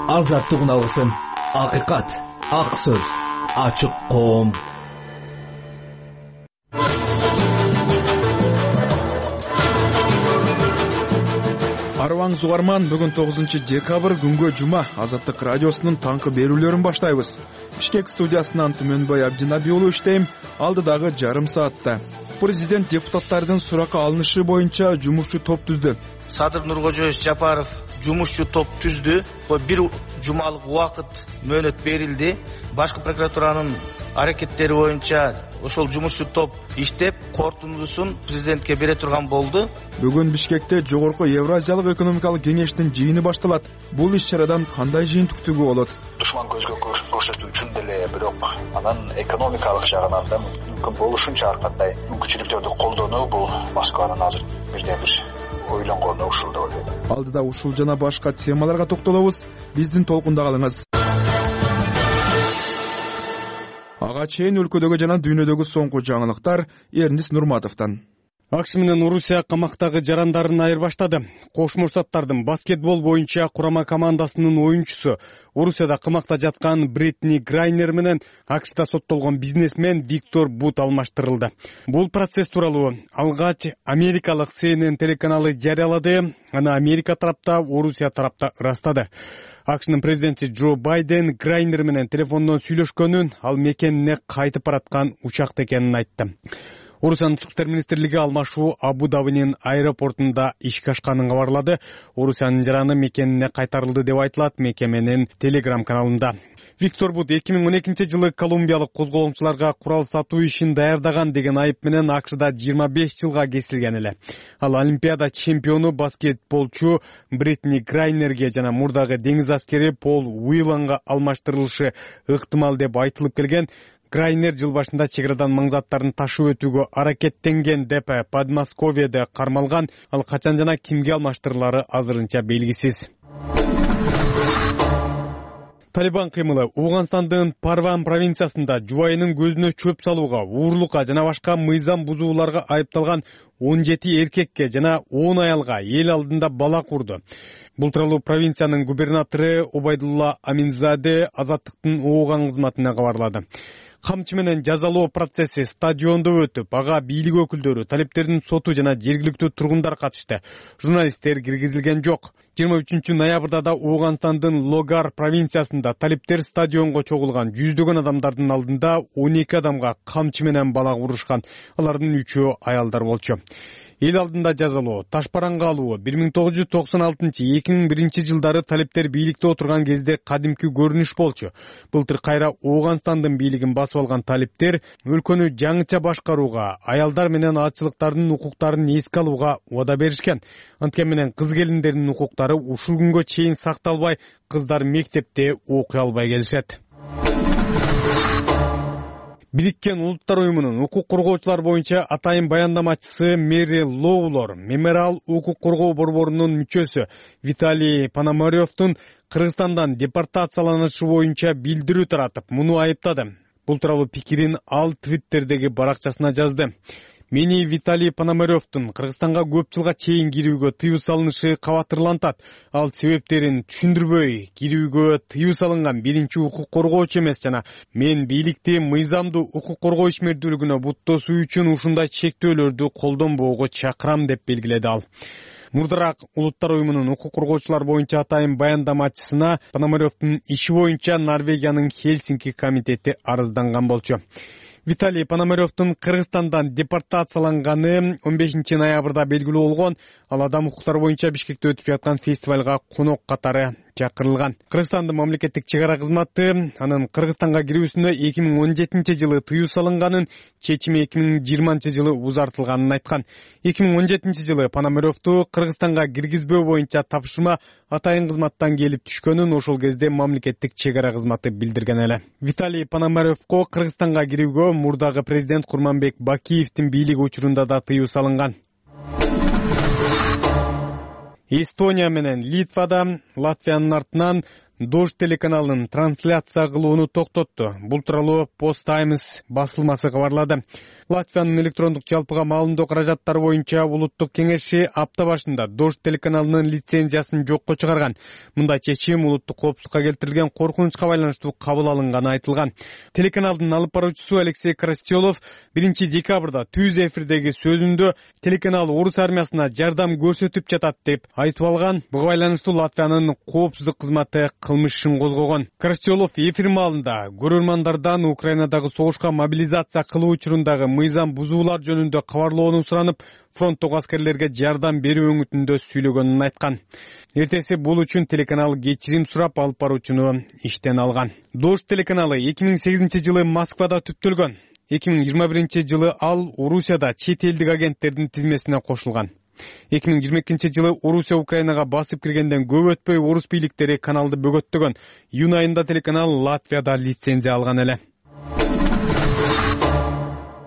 азаттык үналысын, акыйкат, ак сөз, ачык коом. Арваңыз угарман, бүгүн 9 декабрь күнгө жума. Азаттык радиосунун таңкы берүүлөрүн баштайбыз. Бишкек студиясынан Түмөнбай Абдинаби уулу иштейм. Алдыдагы жарым саатта президент депутаттардын суракка алынышы боюнча жумушчу топ түздү. Садыр Нуркожоевич Жапаров жумушчу топ түздү. Бир жумалык убакыт мөөнөт берилди. Башкы прокуратуранын аракеттери боюнча ошол жумушчу топ иштеп, корутундусун президентке бере турган болду. Бүгүн Бишкекте жогорку Евразиялык экономикалык кеңештин жыйыны башталат. Бул иш-чарадан кандай жыйынтыктуу болот? Душман көзгө көрсөтүү үчүн деле, бирок анан экономикалык жагынан да мүмкүн болушунча ар кандай мүмкүнчүлүктөрдү колдонуу бул Москванын азыр бирден бир ойлонгону ушул деп ойлойм. Алдыда ушул жана башка темаларга токтолобуз. Биздин толкунда калыңыз. Ага чейин өлкөдөгү жана дүйнөдөгү соңку жаңылыктар Эрнис Нурматовдон. АКШ менен Орусия камактагы жарандарын айырбаштады. Кошмо Штаттардын баскетбол боюнча курама командасынын оюнчусу, Орусияда камакта жаткан Бритни Грайнер менен АКШда соттолгон бизнесмен Виктор Бут алмаштырылды. Бул процесс тууралуу алгач америкалык CNN телеканалы жарыялады. Аны Америка тарапта, Орусия тарапта ырастады. АКШнын президенти Джо Байден Грайнер менен телефондон сүйлөшкөнүн, ал мекенине кайтып бараткан учакта экенин айтты. Орусиянын Тышкы иштер министрлиги алмашуу Абу-Дабинин аэропортунда ишке ашканын кабарлады. Орусиянын жараны мекенине кайтарылды деп айтылат мекеменин Telegram каналында. Виктор Бут 2012 жылы колумбиялык козголоңчуларга курал сатуу ишин даярдаган деген айып менен АКШда 25 жылга кесилген эле. Ал Олимпиада чемпиону баскетболчу Бритни Грайнерге жана мурдагы деңиз аскери Пол Уилланга алмаштырылышы ыктымал деп айтылып келген. Грайнер жыл башында чек арадан маң заттарын ташып өтүүгө аракеттенген деп Подмосковьеде кармалган. Ал качан жана кимге алмаштырылары азырынча белгисиз. Талибан кыймылы Афганстандын Парван провинциясында жубайынын көзүнө чөп салууга, уурулукка жана башка мыйзам бузууларга айыпталган 17 эркекке жана 10 аялга эл алдында бала курду. Бул тууралуу провинциянын губернатору Обайдулла Аминзаде Азаттыктын ооган кызматына кабарлады. Камчы менен жазалоо процесси стадиондо өтүп, ага бийлик өкүлдөрү, талиптердин соту жана жергиликтүү тургундар катышты. Журналисттер киргизилген жок. 23 ноябрда да Афганстандын Логар провинциясында талиптер стадионго чогулган жүздөгөн адамдардын алдында 12 адамга камчы менен бала урушкан. Алардын 3-өө аялдар болчу. Эл алдында жазалоо, ташпаранга алуу 1996-2001 жылдары талиптер бийликте отурган кезде кадимки көрүнүш болчу. Былтыр кайра Афганстандын бийлигин басып алган талиптер өлкөнү жаңыча башкарууга, аялдар менен атчылыктардын укуктарын эске алууга убада беришкен. Анткени менен кыз келиндердин укуктары ушул күнгө чейин сакталбай, кыздар мектепте окуй албай келишет. Бириккен Улуттар уюмунун укук коргоочулар боюнча атайын баяндамачысы Мэри Лоулор Мемориал укук коргоо борборунун мүчөсү Виталий Пономаревдун Кыргызстандан депортацияланышы боюнча билдирүү таратып, муну айыптады. Бул тууралуу пикирин ал Твиттердеги баракчасына жазды. Мени Виталий Пономаревдун Кыргызстанга көп жылга чейин кирүүгө тыюу салынышы кабатырлантат. Ал себептерин түшүндүрбөй, кирүүгө тыюу салынган биринчи укук коргоочу эмес жана мен бийликти мыйзамдуу укук коргоо ишмердүүлүгүнө буттосуу үчүн ушундай чектөөлөрдү колдонбоого чакырам деп белгиледи ал. Мурдараак Улуттар уюмунун укук коргоочулар боюнча атайын баяндамачысына Пономаревдун иши боюнча Норвегиянын Хельсинки комитети арызданган болчу. Виталий Пономаревдун Кыргызстандан депортацияланганы 15 ноябрда белгилүү болгон. Ал адам укуктары боюнча Бишкекте өтүп жаткан фестивалга конок катары чакырылган. Кыргызстандын мамлекеттик чек ара кызматы анын Кыргызстанга кирүүсүнө 2017 жылы тыюу салынганын, чечими 2020 жылы узартылганын айткан. 2017 жылы Пономаревду Кыргызстанга киргизбөө боюнча тапшырма атайын кызматтан келип түшкөнүн ошол кезде мамлекеттик чек ара кызматы билдирген эле. Виталий Пономаревго Кыргызстанга кирүүгө мурдагы президент Курманбек Бакиевдин бийлиги учурунда да тыюу салынган. Эстония менен Литвада Латвиянын артынан Дождь телеканалынын трансляция кылууну токтотту. Бул тууралуу Post Times басылмасы кабарлады. Латвиянын электрондук жалпыга маалымдоо каражаттары боюнча улуттук кеңеши апта башында Дождь телеканалынын лицензиясын жокко чыгарган. Мындай чечим улуттук коопсуздукка келтирилген коркунучка байланыштуу кабыл алынганы айтылган. Телеканалдын алып баруучусу Алексей Крастелов 1 декабрда түз эфирдеги сөзүндө телеканал орус армиясына жардам көрсөтүп жатат деп айтып алган. Буга байланыштуу Латвиянын коопсуздук кызматы кылмыш ишин козгогон. Крастелов эфир маалында көрөрмандардан Украинадагы согушка мобилизация кылуу учурундагы мыйзам бузуулар жөнүндө кабарлоону суранып, фронттогу аскерлерге жардам берүү өңүтүндө сүйлөгөнүн айткан. Эртеси бул үчүн телеканал кечирим сурап алып баруучуну иштен алган. Дождь телеканалы 2008-жылы Москвада түптөлгөн. 2021-жылы ал Орусияда чет элдик агенттердин тизмесине кошулган. 2022-жылы Орусия Украинага басып киргенден көп өтпөй орус бийликтери каналды бөгөттөгөн. Июнь айында телеканал Латвияда лицензия алган эле.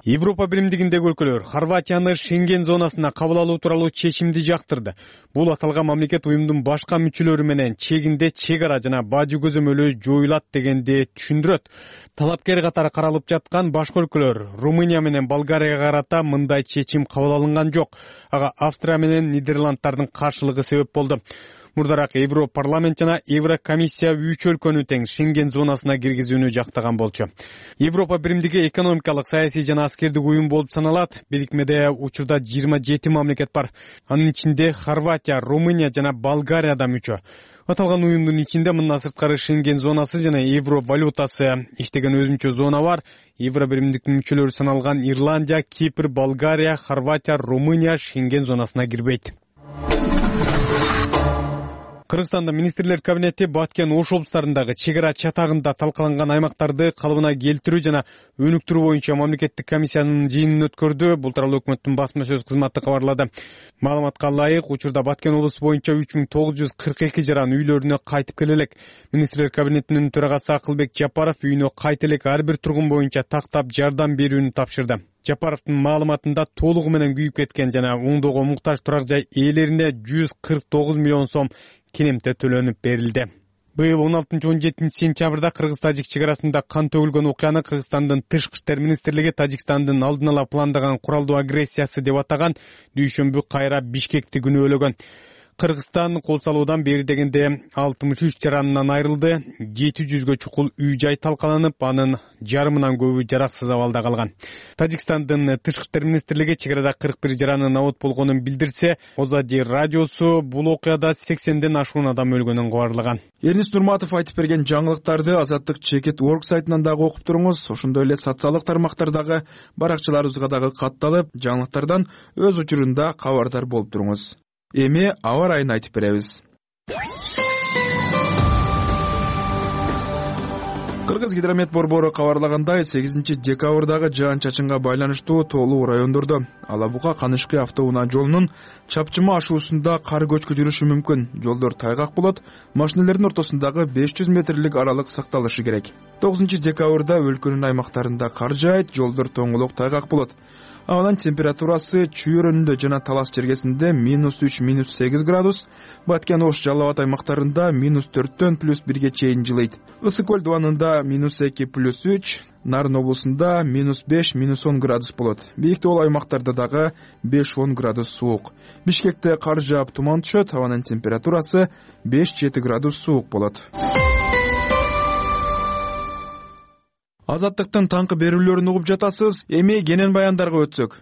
Европа биримдигиндеги өлкөлөр Хорватияны Шенген зонасына кабыл алуу тууралуу чечимди жактырды. Бул аталган мамлекет уюмдун башка мүчөлөрү менен чегинде чек ара жана бажы көзөмөлү жоюлат дегенди түшүндүрөт. Талапкер катары каралып жаткан башка өлкөлөр Румыния менен Болгарияга карата мындай чечим кабыл алынган жок. Ага Австрия менен Нидерланддардын каршылыгы себеп болду. Мурдараак Европарламент жана Еврокомиссия 3 өлкөнү тең Шенген зонасына киргизүүнү жактаган болчу. Европа биримдиги экономикалык, саясий жана аскердик уюм болуп саналат. Бирикмеде учурда 27 мамлекет бар. Анын ичинде Хорватия, Румыния жана Болгария да мүчө. Аталган уюмдун ичинде мындан сырткары Шенген зонасы жана евро валютасы иштеген өзүнчө зона бар. Евро биримдиктин мүчөлөрү саналган Ирландия, Кипр, Болгария, Хорватия, Румыния Шенген зонасына кирбейт. Кыргызстанда министрлер кабинети Баткен Ош облустарындагы чек ара чатагында талкаланган аймактарды калыбына келтирүү жана өнүктүрүү боюнча мамлекеттик комиссиянын жыйынын өткөрдү. Бул тууралуу өкмөттүн басма сөз кызматы кабарлады. Маалыматка ылайык, учурда Баткен облусу боюнча 3942 жаран үйлөрүнө кайтып келе элек. Министрлер кабинетинин төрагасы Акылбек Жапаров үйүнө кайта элек ар бир тургун боюнча тактап жардам берүүнү тапшырды. Жапаровдун маалыматында толугу менен күйүп кеткен жана оңдоого муктаж турак жай ээлерине 149 миллион сом кенемте төлөнүп берилди. Быйыл 16-17 сентябрда Кыргыз-Тажик чек арасында кан төгүлгөн окуяны Кыргызстандын Тышкы иштер министрлиги Тажикстандын алдын ала пландаган куралдуу агрессиясы деп атаган. Дүйшөмбү кайра Бишкекти күнөөлөгөн. Кыргызстан кол салуудан бери дегенде 63 жаранынан айрылды. 700гө чукул үй-жай талкаланып, анын жарымынан көбү жараксыз абалда калган. Тажикстандын Тышкы иштер министрлиги чек арада 41 жаранын абот болгонун билдирсе, Озади радиосу бул окуяда 80ден ашуун адам өлгөнүн кабарлаган. Эрнис Нурматов айтып берген жаңылыктарды Азаттык Чекит.org сайтынан дагы окуп туруңуз. Ошондой эле социалдык тармактардагы баракчаларыбызга дагы катталып, жаңылыктардан өз учурунда кабардар болуп туруңуз. Эми аба ырайын айтып беребиз. Кыргыз гидромет борбору кабарлагандай, 8 декабрдагы жаан-чачынга байланыштуу тоолуу райондордо Алабуга Канышкы автоунаа жолунун чапчыма ашуусунда кар көчкү жүрүшү мүмкүн. Жолдор тайгак болот, машинелердин ортосундагы 500 метрлик аралык сакталышы керек. 9 декабрда өлкөнүн аймактарында кар жаайт, жолдор тоңолок тайгак болот. Абанын температурасы Чүй районунда жана Талас чергесинде -3, -8 градус, Баткен Ош Жалал Абад аймактарында -4төн +1ге чейин жылыйт. Ысык көл дубанында -2, +3, Нарын облусунда -5, -10 градус болот. Бийик тоол аймактарда дагы 5-10 градус суук. Бишкекте кар жаап туман түшөт, абанын температурасы 5-7 градус суук болот. Азаттыктын таңкы берүүлөрүн угуп жатасыз. Эми кенен баяндарга өтсөк.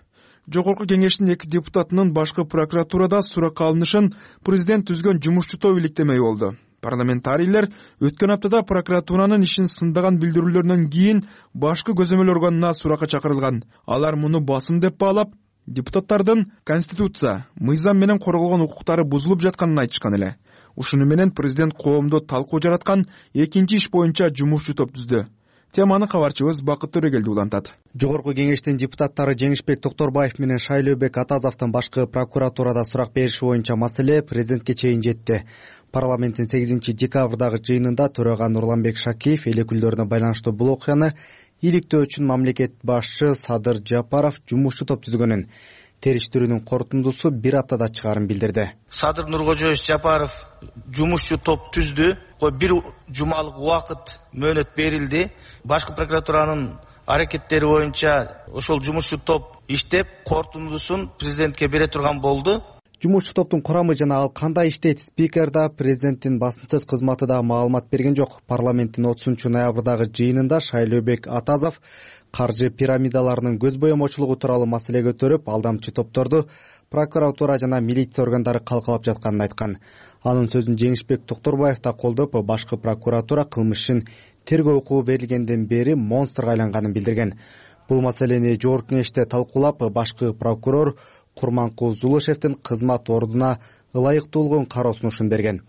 Жогорку кеңештин 2 депутатынын башкы прокуратурада суракка алынышын президент түзгөн жумушчу топ иликтемей болду. Парламентарийлер өткөн аптада прокуратуранын ишин сындаган билдирүүлөрүнөн кийин башкы көзөмөл органына суракка чакырылган. Алар муну басым деп баалап, депутаттардын конституция, мыйзам менен корголгон укуктары бузулуп жатканын айтышкан эле. Ушуну менен президент коомдо талкуу жараткан экинчи иш боюнча жумушчу топ түздү. Теманы кабарчыбыз Бакыт Төрөгелди улантат. Жогорку кеңештин депутаттары Жеңишбек Токторбаев менен Шайлообек Атазовдун башкы прокуратурада сурак бериши боюнча маселе президентке чейин жетти. Парламенттин 8 декабрдагы жыйынында төрага Нурланбек Шакиев эл өкүлдөрүнө байланыштуу бул окуяны иликтөө үчүн мамлекет башчы Садыр Жапаров жумушчу топ түзгөнүн, териштирүүнүн корутундусу бир аптада чыгаарын билдирди. Садыр Нуркожоевич Жапаров жумушчу топ түздү. Бир жумалык убакыт мөөнөт берилди. Башкы прокуратуранын аракеттери боюнча ошол жумушчу топ иштеп, корутундусун президентке бере турган болду. Жумушчу топтун курамы жана ал кандай иштейт, спикер да, президенттин басым сөз кызматы да маалымат берген жок. Парламенттин 30-ноябрдагы жыйынында Шайлообек Атазов каржы пирамидаларынын көз боемочулугу тууралуу маселе көтөрүп, алдамчы топторду прокуратура жана милиция органдары калкалап жатканын айткан. Анын сөзүн Жеңишбек Токторбаев да колдоп, башкы прокуратура кылмыш ишин тергөө укугу берилгенден бери монстрго айланганын билдирген. Бул маселени жогорку кеңеште талкуулап, башкы прокурор Курманкул Зулушевдин кызмат ордуна ылайыктуулугун кароо сунушун берген.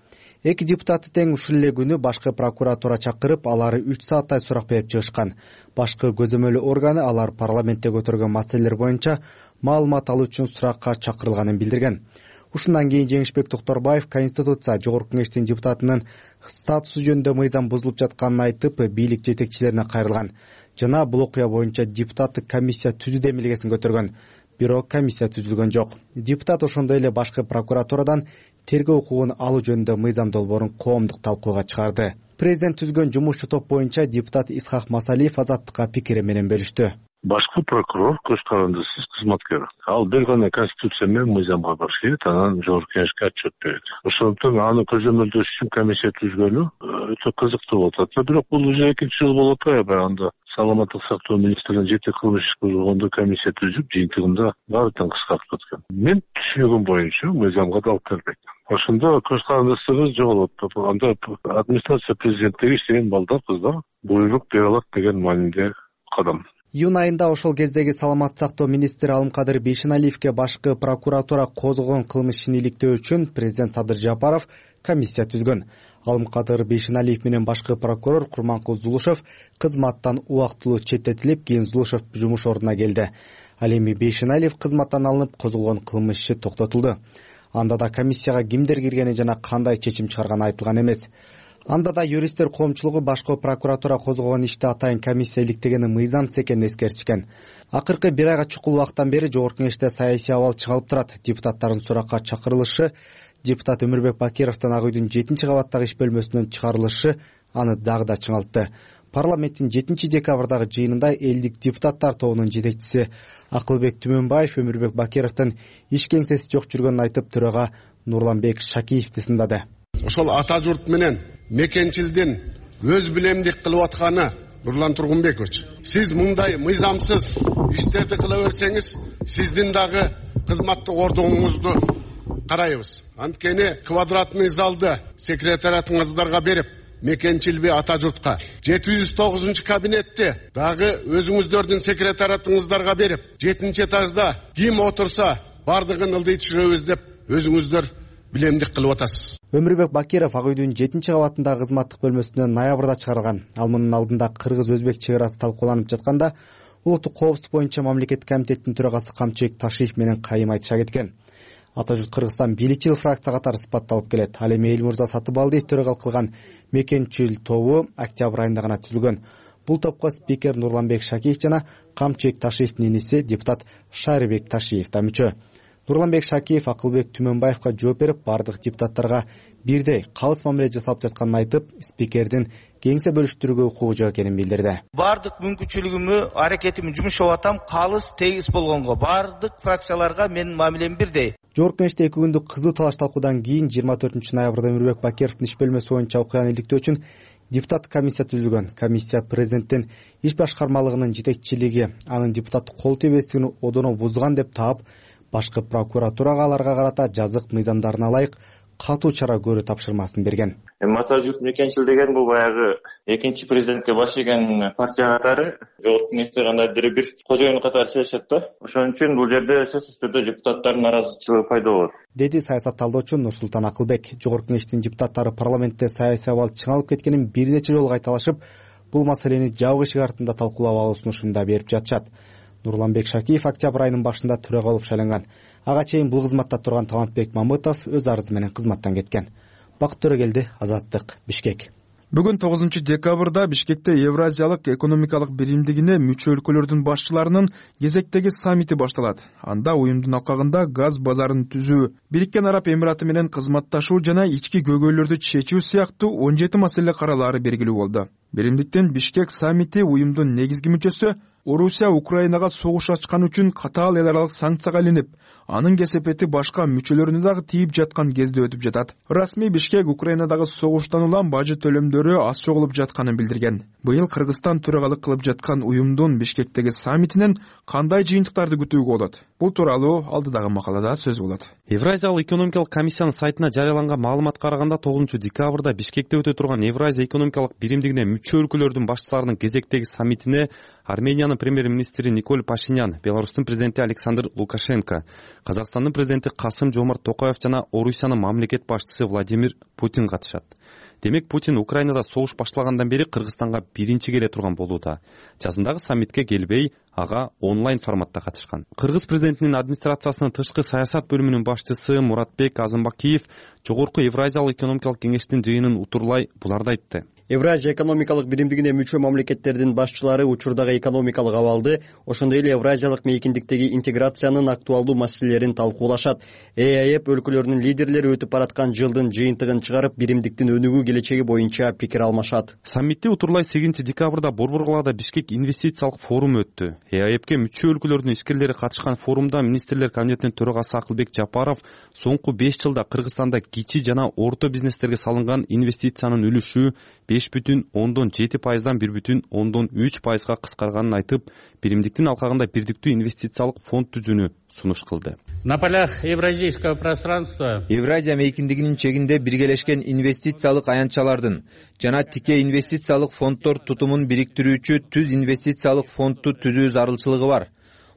Эки депутаты тең ушул эле күнү башкы прокуратура чакырып, алары 3 сааттай сурак берип чыгышкан. Башкы көзөмөлүү органы алар парламентте көтөргөн маселелер боюнча маалымат алуу үчүн суракка чакырылганын билдирген. Ушундан кийин Жеңишбек Токторбаев Конституция жогорку кеңештин депутатынын статусу жөнүндө мыйзам бузулуп жатканын айтып, бийлик жетекчилерине кайрылган жана бул окуя боюнча депутаттык комиссия түзүү демилгесин көтөргөн. Бирок комиссия түзүлгөн жок. Депутат ошондой эле башкы прокуратурадан тергөө укугун алуу жөнүндө мыйзам долбоорун коомдук талкууга чыгарды. Президент түзгөн жумушчу топ боюнча депутат Исхак Масалиев Азаттыкка пикири менен бөлүштү. Башкы прокурор көз карандысыз кызматкер. Ал бир гана конституция менен мыйзамга барыш керек, анан жогорку кеңешке отчет берет. Ошондуктан аны көзөмөлдөш үчүн комиссия түзгөнү өтө кызыктуу болуп атат. Бирок бул уже экинчи жыл болуп атпайбы? Анда саламаттык сактоо министринин жети кылмыш иш козгогондо комиссия түзүп, жыйынтыгында баары тең кыскартып аткан. Мен түшүнүгүм боюнча мыйзамга да алып келбейт. Ошондо көз карандысыз жоголот. Анда администрация президенттиги иштеген балдар, кыздар буйрук бере алат деген мааниде кадам. Июнь айында ошол кездеги саламаттык сактоо министри Алымкадыр Бейшеналиевге башкы прокуратура козгогон кылмыш ишин иликтөө үчүн президент Садыр Жапаров комиссия түзгөн. Алымкадыр Бейшеналиев менен башкы прокурор Курманкул Зулушев кызматтан убактылуу четтетилип, кийин Зулушев жумуш ордуна келди. Ал эми Бейшеналиев кызматтан алынып, козголгон кылмыш иши токтотулду. Анда да комиссияга кимдер киргени жана кандай чечим чыгарганы айтылган эмес. Анда да юристтер коомчулугу башкы прокуратура козгогон ишти атайын комиссия иликтегени мыйзамсыз экенин эскертишкен. Акыркы бир айга чукул убакыттан бери жогорку кеңеште саясий абал чыгалып турат. Депутаттардын суракка чакырылышы, депутат Өмүрбек Бакировдун Ак үйдүн 7-кабаттагы иш бөлмөсүнөн чыгарылышы аны дагы да чыңалтты. Парламенттин 7-декабрдагы жыйынында элдик депутаттар тобунун жетекчиси Акылбек Түмөнбаев Өмүрбек Бакировдун иш кеңсеси жок жүргөнүн айтып, төрага Нурланбек Шакиевди сындады. Ошол ата журт менен мекенчилдин өз билемдик кылып атканы Нурлан Тургунбекович, сиз мындай мыйзамсыз иштерди кыла берсеңиз, сиздин дагы кызматтык ордуңузду карайбыз. Анткени квадратный залды секретариатыңыздарга берип, мекенчилби ата журтка 709 кабинетти дагы өзүңүздөрдүн секретариатыңыздарга берип, 7-этажда ким отурса бардыгын ылдый түшүрөбүз деп өзүңүздөр билемдик кылып атасыз. Өмүрбек Бакиров Ак үйдүн 7-кабатындагы кызматтык бөлмөсүнөн ноябрда чыгарылган. Ал мунун алдында кыргыз-өзбек чек арасы талкууланып жатканда улуттук коопсуздук боюнча мамлекеттик комитеттин төрагасы Камчыбек Ташиев менен кайым айтыша кеткен. Ата журт Кыргызстан бийликчил фракция катары сыпатталып келет. Ал эми Элмурза Сатыбалдиев төрагалык кылган мекенчил тобу октябрь айында гана түзүлгөн. Бул топко спикер Нурланбек Шакиев жана Камчыбек Ташиевдин иниси депутат Шарибек Ташиев да мүчө. Нурланбек Шакиев Акылбек Түмөнбаевга жооп берип, бардык депутаттарга бирдей калыс мамиле жасалып жатканын айтып, спикердин кеңсе бөлүштүрүүгө укугу жок экенин билдирди. Бардык мүмкүнчүлүгүмө, аракетимди жумушап атам, калыс тегиз болгонго. Бардык фракцияларга менин мамилем бирдей. Жогорку кеңеште 2 күндүк кызуу талаш талкуудан кийин 24-ноябрда Өмүрбек Бакировдун иш бөлмөсү боюнча окуяны иликтөө үчүн депутаттык комиссия түзүлгөн. Комиссия президенттин иш башкармалыгынын жетекчилиги анын депутаттык кол тийбестигин одоно бузган деп таап, башкы прокуратурага аларга карата жазык мыйзамдарына ылайык катуу чара көрүү тапшырмасын берген. Ата журт мекенчил деген бул баягы экинчи президентке баш ийген партия катары жогорку кеңеште кандайдыр бир кожоюн катары чечишет да. Ошон үчүн бул жерде сөзсүз түрдө депутаттардын наразычылыгы пайда болот, деди саясат талдоочу Нурсултан Акылбек. Жогорку кеңештин депутаттары парламентте саясий абал чыңалып кеткенин бир нече жолу кайталашып, бул маселени жабык эшик артында талкуулап алуу сунушун да берип жатышат. Нурланбек Шакиев октябрь айынын башында төрага болуп шайланган. Ага чейин бул кызматта турган Талантбек Мамытов өз арызы менен кызматтан кеткен. Бакыт Төрөгелди, Азаттык, Бишкек. Бүгүн 9 декабрда Бишкекте Евразиялык экономикалык биримдигине мүчө өлкөлөрдүн башчыларынын кезектеги саммити башталат. Анда уюмдун алкагында газ базарын түзүү, Бириккен Араб Эмираты менен кызматташуу жана ички көйгөйлөрдү чечүү сыяктуу 17 маселе каралаары белгилүү болду. Биримдиктин Бишкек саммити уюмдун негизги мүчөсү Орусия Украинага согуш ачкан үчүн катаал эл аралык санкцияга илинип, анын кесепети башка мүчөлөрүнө дагы тийип жаткан кезде өтүп жатат. Расмий Бишкек Украинадагы согуштан улам бажы төлөмдөрү аз чогулуп жатканын билдирген. Быйыл Кыргызстан төрагалык кылып жаткан уюмдун Бишкектеги саммитинен кандай жыйынтыктарды күтүүгө болот? Бул тууралуу алдыдагы макалада сөз болот. Евразиялык экономикалык комиссиянын сайтына жарыяланган маалыматка караганда 9 декабрда Бишкекте өтө турган Евразия экономикалык биримдигине мүчө өлкөлөрдүн башчыларынын кезектеги саммитине Армениянын премьер-министри Николь Пашинян, Беларустун президенти Александр Лукашенко, Казакстандын президенти Касым-Жомарт Токаев жана Орусиянын мамлекет башчысы Владимир Путин катышат. Демек Путин Украинада согуш башталгандан бери Кыргызстанга биринчи келе турган болууда. Жазындагы саммитке келбей, ага онлайн форматта катышкан. Кыргыз президентинин администрациясынын тышкы саясат бөлүмүнүн башчысы Муратбек Азымбакиев Жогорку Евразиялык экономикалык кеңештин жыйынын утурлай буларды айтты. Евразия экономикалык биримдигине мүчө мамлекеттердин башчылары учурдагы экономикалык абалды, ошондой эле Евразиялык мейкиндиктеги интеграциянын актуалдуу маселелерин талкуулашат. ЭАЭП өлкөлөрүнүн лидерлери өтүп бараткан жылдын жыйынтыгын чыгарып, биримдиктин өнүгүү келечеги боюнча пикир алмашат. Саммитте утурлай 8 декабрда Борбор калаада Бишкек инвестициялык форуму өттү. ЭАЭПке мүчө өлкөлөрдүн ишкерлери катышкан форумда министрлер кабинетинин төрагасы Акылбек Жапаров соңку 5 жылда Кыргызстанда кичи жана орто бизнестерге салынган инвестициянын үлүшү 5,7%дан 1,3%га кыскарганын айтып, биримдиктин алкагында бирдиктүү инвестициялык фонд түзүүнү сунуш кылды. На полях евразийского пространства Евразия мейкиндигинин чегинде биргелешкен инвестициялык аянтчалардын жана тике инвестициялык фонддор тутумун бириктирүүчү түз инвестициялык фондду түзүү зарылчылыгы бар.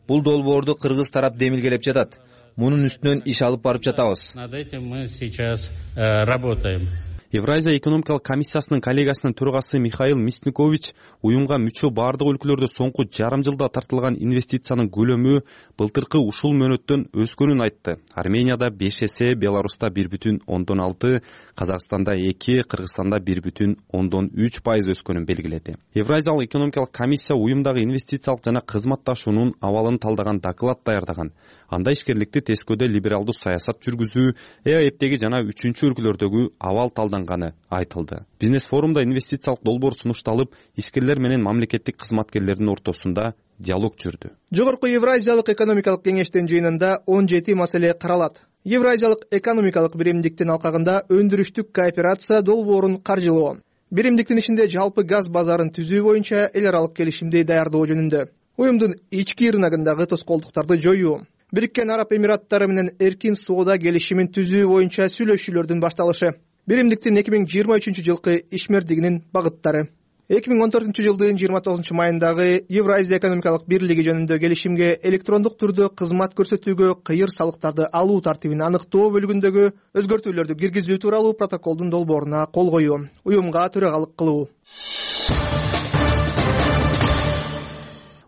Бул долбоорду кыргыз тарап демилгелеп жатат. Мунун үстүнөн иш алып барып жатабыз. Над этим мы сейчас работаем. Евразия экономикалык комиссиясынын коллегасынын төрагасы Михаил Мясникович уюмга мүчө бардык өлкөлөрдө соңку жарым жылда тартылган инвестициянын көлөмү былтыркы ушул мөөнөттөн өскөнүн айтты. Арменияда 5 эсе, Беларуста 1,6, Казакстанда 2, Кыргызстанда 1,3% өскөнүн белгиледи. Евразиялык экономикалык комиссия уюмдагы инвестициялык жана кызматташуунун абалын талдаган доклад даярдаган. Анда ишкерликти тескөөдө либералдуу саясат жүргүзүү, ЭАЭПтеги жана 3 өлкөлөрдөгү абал талданганы айтылды. Бизнес форумда инвестициялык долбоор сунушталып, ишкерлер менен мамлекеттик кызматкерлердин ортосунда диалог жүрдү. Жогорку Евразиялык экономикалык кеңештин жыйынында 17 маселе каралат. Евразиялык экономикалык биримдиктин алкагында өндүрүштүк кооперация долбоорун каржылоо, биримдиктин ишинде жалпы газ базарын түзүү боюнча эл аралык келишимди даярдоо жөнүндө, уюмдун ички рыногундагы тоскоолдуктарды жоюу, Бириккен Араб Эмираттары менен эркин соода келишимин түзүү боюнча сүйлөшүүлөрдүн башталышы, биримдиктин 2023 жылкы ишмердигинин багыттары, 2014 жылдын 29 майындагы Евразия экономикалык бирлиги жөнүндө келишимге электрондук түрдө кызмат көрсөтүүгө кыйыр салыктарды алуу тартибин аныктоо бөлүгүндөгү өзгөртүүлөрдү киргизүү тууралуу протоколдун долбооруна кол коюу, уюмга төрагалык кылуу.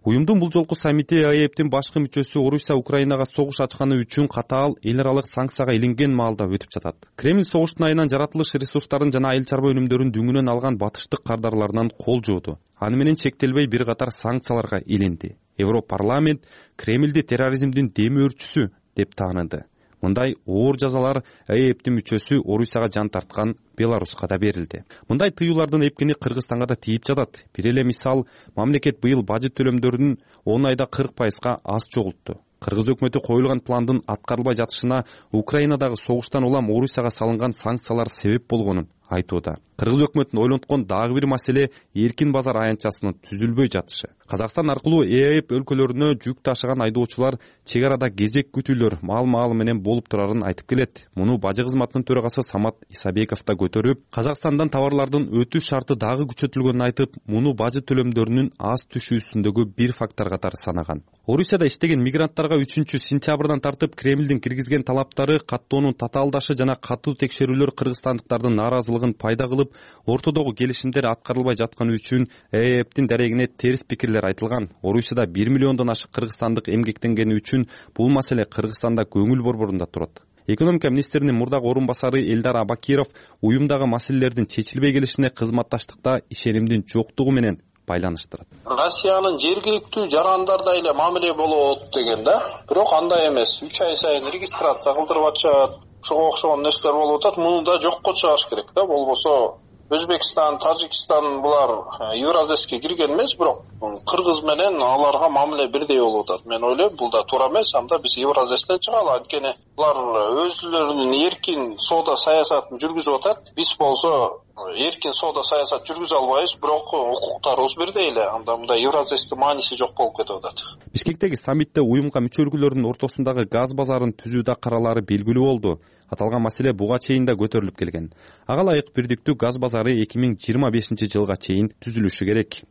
Уюмдун бул жолку саммити ЭАЭПтин башкы мүчөсү Орусия Украинага согуш ачканы үчүн катаал эл аралык санкцияга илинген маалда өтүп жатат. Кремль согуштун айынан жаратылыш ресурстарын жана айыл чарба өнүмдөрүн дүңүнөн алган батыштык кардарларынан кол жууду. Аны менен чектелбей бир катар санкцияларга илинди. Европарламент Кремльди терроризмдин демөөрчүсү деп тааныды. Мындай оор жазалар ЭАЭПтин мүчөсү Орусияга жан тарткан Беларуска да берилди. Мындай тыюулардын эпкини Кыргызстанга да тийип жатат. Бир эле мисал, мамлекет быйыл бажет төлөмдөрүн 10 айда 40%га аз чогултту. Кыргыз өкмөтү коюлган пландын аткарылбай жатышына Украинадагы согуштан улам Орусияга салынган санкциялар себеп болгонун айтууда. Кыргыз өкмөтүн ойлонткон дагы бир маселе эркин базар аянтчасынын түзүлбөй жатышы. Казакстан аркылуу ЭАЭП өлкөлөрүнө жүк ташыган айдоочулар чек арада кезек күтүүлөр маал менен болуп турарын айтып келет. Муну бажы кызматынын төрагасы Самат Исабеков да көтөрүп, Казакстандан товарлардын өтүү шарты дагы күчөтүлгөнүн айтып, муну бажы төлөмдөрүнүн аз түшүүсүндөгү бир фактор катары санаган. Орусияда иштеген мигранттарга 3-сентябрдан тартып Кремлдин киргизген талаптары, каттоонун татаалдашы жана катуу текшерүүлөр кыргызстандыктардын нааразылыгын пайда кылып, ортодогу келишимдер аткарылбай жатканы үчүн ЭАЭПтин дарегине терс пикирлер айтылган. Орусияда 1 миллиондон ашык кыргызстандык эмгектенгени үчүн бул маселе Кыргызстанда көңүл борборунда турат. Экономика министринин мурдагы орун басары Элдар Абакиров уюмдагы маселелердин чечилбей келишине кызматташтыкта ишенимдин жоктугу менен байланыштырат. Россиянын жергиликтүү жарандарда эле мамиле болот деген да, бирок андай эмес. 3 ай сайын регистрация кылдырып атышат. Ошого окшогон нерселер болуп атат. Муну да жокко чыгарыш керек да. Болбосо Өзбекстан, Тажикстан булар Евразеске кирген эмес, бирок Кыргыз менен аларга мамиле бирдей болуп атат. Мен ойлойм, бул да туура эмес. Анда биз Евразестен чыгалы, анткени булар өзлөрүнүн эркин соода саясатын жүргүзүп атат. Биз болсо эркин соода саясат жүргүзө албайбыз, бирок укуктарыбыз бирдей эле. Анда мындай Евразестин мааниси жок болуп кетип атат. Бишкектеги саммитте уюмга мүчө өлкөлөрдүн ортосундагы газ базарын түзүүдө каралары белгилүү болду. Аталган маселе буга чейин да көтөрүлүп келген. Ага ылайык бирдиктүү газ базары 2025-жылга чейин түзүлүшү керек.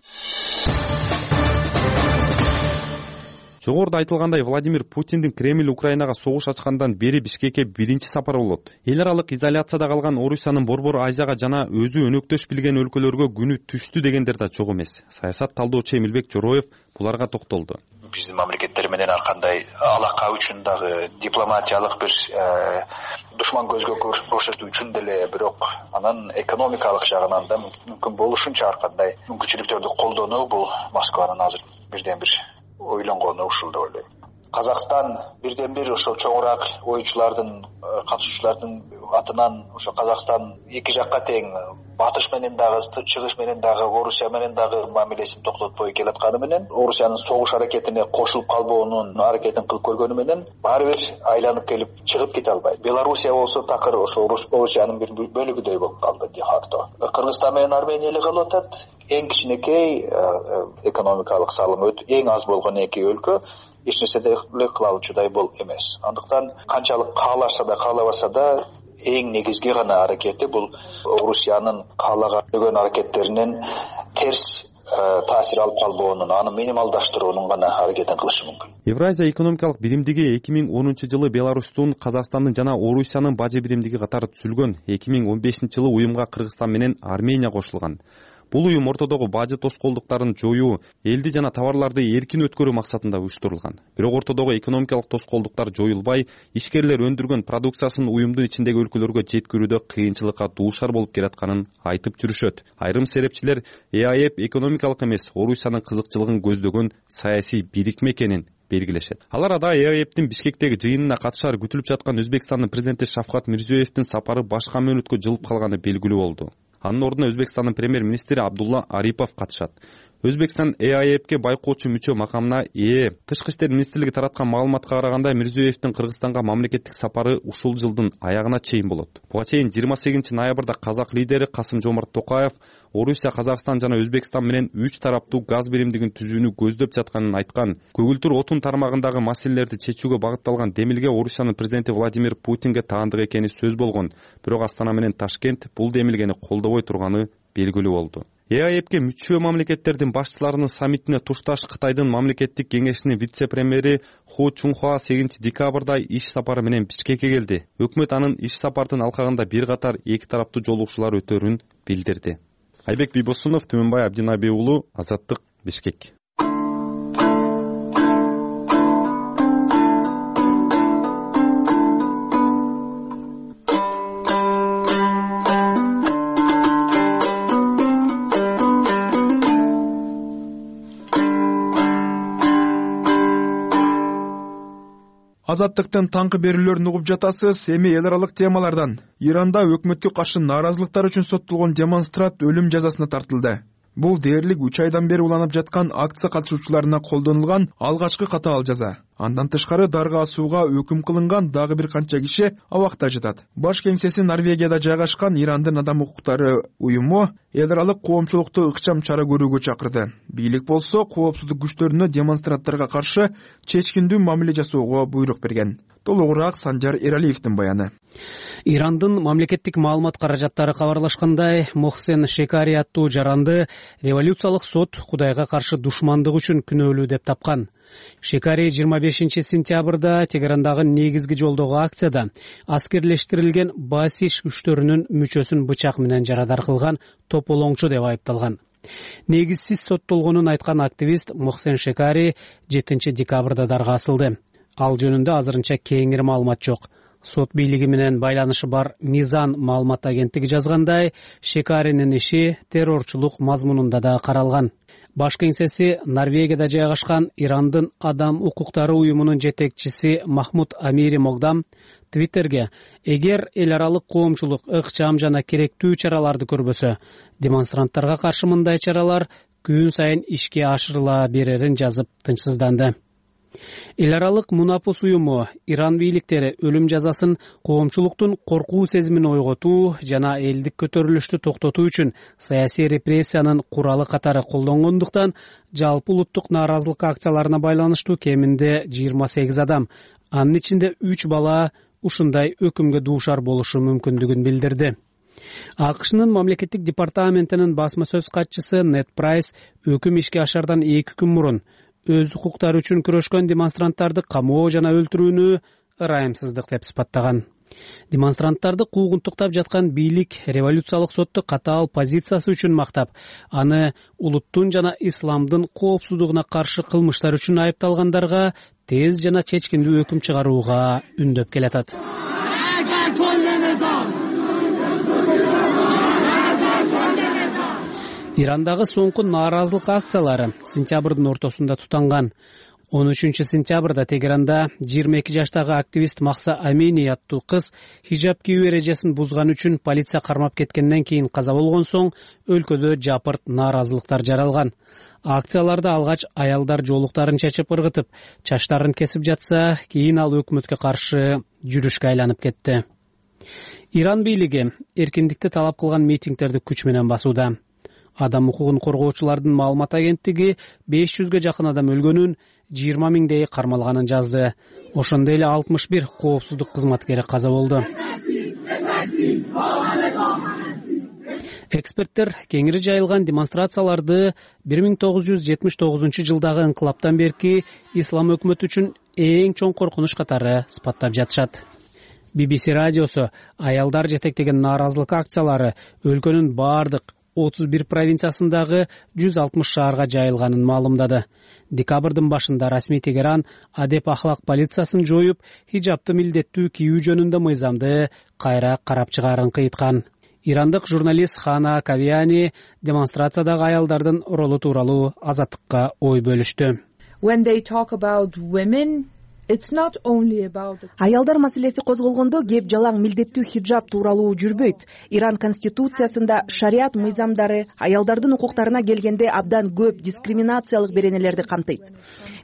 Жогоруда айтылгандай, Владимир Путиндин Кремль Украинага согуш ачкандан бери Бишкекке биринчи сапары болот. Эл аралык изоляцияда калган Орусиянын Борбор Азияга жана өзү өнөктөш билген өлкөлөргө күнү түштү дегендер да жок эмес. Саясат талдоочу Эмилбек Жороев буларга токтолду. Биздин мамлекеттер менен ар кандай алака үчүн дагы дипломатиялык бир душман көзгө көрсөтүү үчүн деле, бирок анан экономикалык жагынан да мүмкүн болушунча ар кандай мүмкүнчүлүктөрдү колдонуу бул Москванын азыр бирден бир ойлонгону ушул деп ойлойм. Казакстан бирден бир ошол чоңураак оюучулардын, катышуучулардын атынан ошо Казакстан эки жакка тең батыш менен дагы, чыгыш менен дагы, Орусия менен дагы мамилесин токтотпой келатканы менен, Орусиянын согуш аракетине кошулуп калбоонун аракетин кылып көргөнү менен баары бир айланып келип чыгып кете албайт. Белоруссия болсо такыр ошо Орусиянын бир бөлүгүдөй болуп калды де-факто. Кыргызстан менен Армения эле калып атат. Эң кичинекей экономикалык салымы эң аз болгон эки өлкө эч нерсе деле кыла алуучудай болуп эмес. Андыктан канчалык каалашса да каалабаса да эң негизги гана аракети бул Орусиянын каалаган аракеттеринен терс таасир алып калбоонун, аны минималдаштыруунун гана аракетин кылышы мүмкүн. Евразия экономикалык биримдиги 2010-жылы Беларустун, Казакстандын жана Орусиянын бажы биримдиги катары түзүлгөн. 2015-жылы уюмга Кыргызстан менен Армения кошулган. Бул уюм ортодогу бажы тоскоолдуктарын жоюу, элди жана товарларды эркин өткөрүү максатында уюштурулган. Бирок ортодогу экономикалык тоскоолдуктар жоюлбай, ишкерлер өндүргөн продукциясын уюмдун ичиндеги өлкөлөргө жеткирүүдө кыйынчылыкка дуушар болуп келатканын айтып жүрүшөт. Айрым серепчилер ЭАЭП экономикалык эмес, Орусиянын кызыкчылыгын көздөгөн саясий бирикме экенин белгилешет. Ал арада ЭАЭПтин Бишкектеги жыйынына катышары күтүлүп жаткан Өзбекстандын президенти Шавкат Мирзиёевдин сапары башка мөөнөткө жылып калганы белгилүү болду. Анын ордуна Өзбекстандын премьер-министри Абдулла Арипов катышат. Өзбекстан ЭАЭПке байкоочу мүчө макамына ээ. Тышкы иштер министрлиги тараткан маалыматка караганда, Мирзиёевдин Кыргызстанга мамлекеттик сапары ушул жылдын аягына чейин болот. Буга чейин 28 ноябрда казак лидери Касым-Жомарт Токаев Орусия, Казакстан жана Өзбекстан менен 3 тараптуу газ биримдигин түзүүнү көздөп жатканын айткан. Көгүлтүр отун тармагындагы маселелерди чечүүгө багытталган демилге Орусиянын президенти Владимир Путинге таандык экени сөз болгон. Бирок Астана менен Ташкент бул демилгени колдобой турганы белгилүү болду. ЭАЭПке мүчө мамлекеттердин башчыларынын саммитине тушташ Кытайдын мамлекеттик кеңешинин вице-премьери Ху Чунхуа 8 декабрда иш сапары менен Бишкекке келди. Өкмөт анын иш сапардын алкагында бир катар эки тараптуу жолугушуулар өтөрүн билдирди. Айбек Бийбосунов, Түмөнбай Абдинабий уулу, Азаттык, Бишкек. Азаттыктын таңкы берүүлөрүн угуп жатасыз. Эми эл аралык темалардан. Иранда өкмөткө каршы нааразылыктар үчүн соттолгон демонстрант өлүм жазасына тартылды. Бул дээрлик 3 айдан бери уланып жаткан акция катышуучуларына колдонулган алгачкы катаал жаза. Андан тышкары дарга асууга өкүм кылынган дагы бир канча киши абакта жатат. Баш кеңсеси Норвегияда жайгашкан Ирандын адам укуктары уюму эл аралык коомчулукту ыкчам чара көрүүгө чакырды. Бийлик болсо коопсуздук күчтөрүнө демонстранттарга каршы чечкиндүү мамиле жасоого буйрук берген. Толугураак Санжар Эралиевдин баяны. Ирандын мамлекеттик маалымат каражаттары кабарлашкандай, Мохсен Шекари аттуу жаранды революциялык сот Кудайга каршы душмандык үчүн күнөөлүү деп тапкан. Шекари 25 сентябрда Тегерандагы негизги жолдогу акцияда аскерлештирилген Басиш күчтөрүнүн мүчөсүн бычак менен жарадар кылган тополоңчу деп айыпталган. Негизсиз соттолгонун айткан активист Мохсен Шекари 7 декабрда дарга асылды. Ал жөнүндө азырынча кеңири маалымат жок. Сот бийлиги менен байланышы бар Мизан маалымат агенттиги жазгандай, Шекаринин иши террорчулук мазмунунда да каралган. Баш кеңсеси Норвегияда жайгашкан Ирандын адам укуктары уюмунун жетекчиси Махмуд Амири Мокдам Твиттерге: эгер эл аралык коомчулук ыкчам жана керектүү чараларды көрбөсө, демонстранттарга каршы мындай чаралар күн сайын ишке ашырыла берерин жазып тынчсызданды. Эл аралык Мунапус уюму Иран бийликтери өлүм жазасын коомчулуктун коркуу сезимин ойготуу жана элдик көтөрүлүштү токтотуу үчүн саясий репрессиянын куралы катары колдонгондуктан жалпы улуттук нааразылык акцияларына байланыштуу кеминде 28 адам, анын ичинде 3 бала ушундай өкүмгө дуушар болушу мүмкүндүгүн билдирди. АКШнын мамлекеттик департаментинин басма сөз катчысы Нед Прайс өкүм ишке ашардан 2 күн мурун өз укуктары үчүн күрөшкөн демонстранттарды камоо жана өлтүрүүнү ырайымсыздык деп сыпаттаган. Демонстранттарды куугунтуктап жаткан бийлик революциялык сотто катаал позициясы үчүн мактап, аны улуттун жана исламдын коопсуздугуна каршы кылмыштар үчүн айыпталгандарга тез жана чечкиндүү өкүм чыгарууга үндөп келатат. Ирандагы соңку нааразылык акциялары сентябрдын ортосунда тутанган. 13-сентябрда Тегеранда 22 жаштагы активист Махса Амини аттуу кыз хижаб кийүү эрежесин бузган үчүн полиция кармап кеткенден кийин каза болгон соң өлкөдө жапырт нааразылыктар жаралган. Акцияларда алгач аялдар жоолуктарын чечип ыргытып, чачтарын кесип жатса, кийин ал өкмөткө каршы жүрүшкө айланып кетти. Иран бийлиги эркиндикти талап кылган митингдерди күч менен басууда. Адам укугун коргоочулардын маалымат агенттиги 500ге жакын адам өлгөнүн, 20 миңдей кармалганын жазды. Ошондой эле 61 коопсуздук кызматкери каза болду. Эксперттер кеңири жайылган демонстрацияларды 1979-жылдагы инкылаптан берки ислам өкмөтү үчүн эң чоң коркунуч катары сыпаттап жатышат. BBC радиосу аялдар жетектеген нааразылык акциялары өлкөнүн бардык 31 провинциясындагы 160 шаарга жайылганын маалымдады. Декабрдын башында расмий Тегеран адеп ахлак полициясын жоюп, хижабты милдеттүү кийүү жөнүндө мыйзамды кайра карап чыгаарын кыйткан. Ирандык журналист Хана Кавиани демонстрациядагы аялдардын ролу тууралуу Азаттыкка ой бөлүштү. Аялдар маселеси козголгондо кеп жалаң милдеттүү хиджаб тууралуу жүрбөйт. Иран конституциясында шариат мыйзамдары аялдардын укуктарына келгенде абдан көп дискриминациялык беренелерди камтыйт.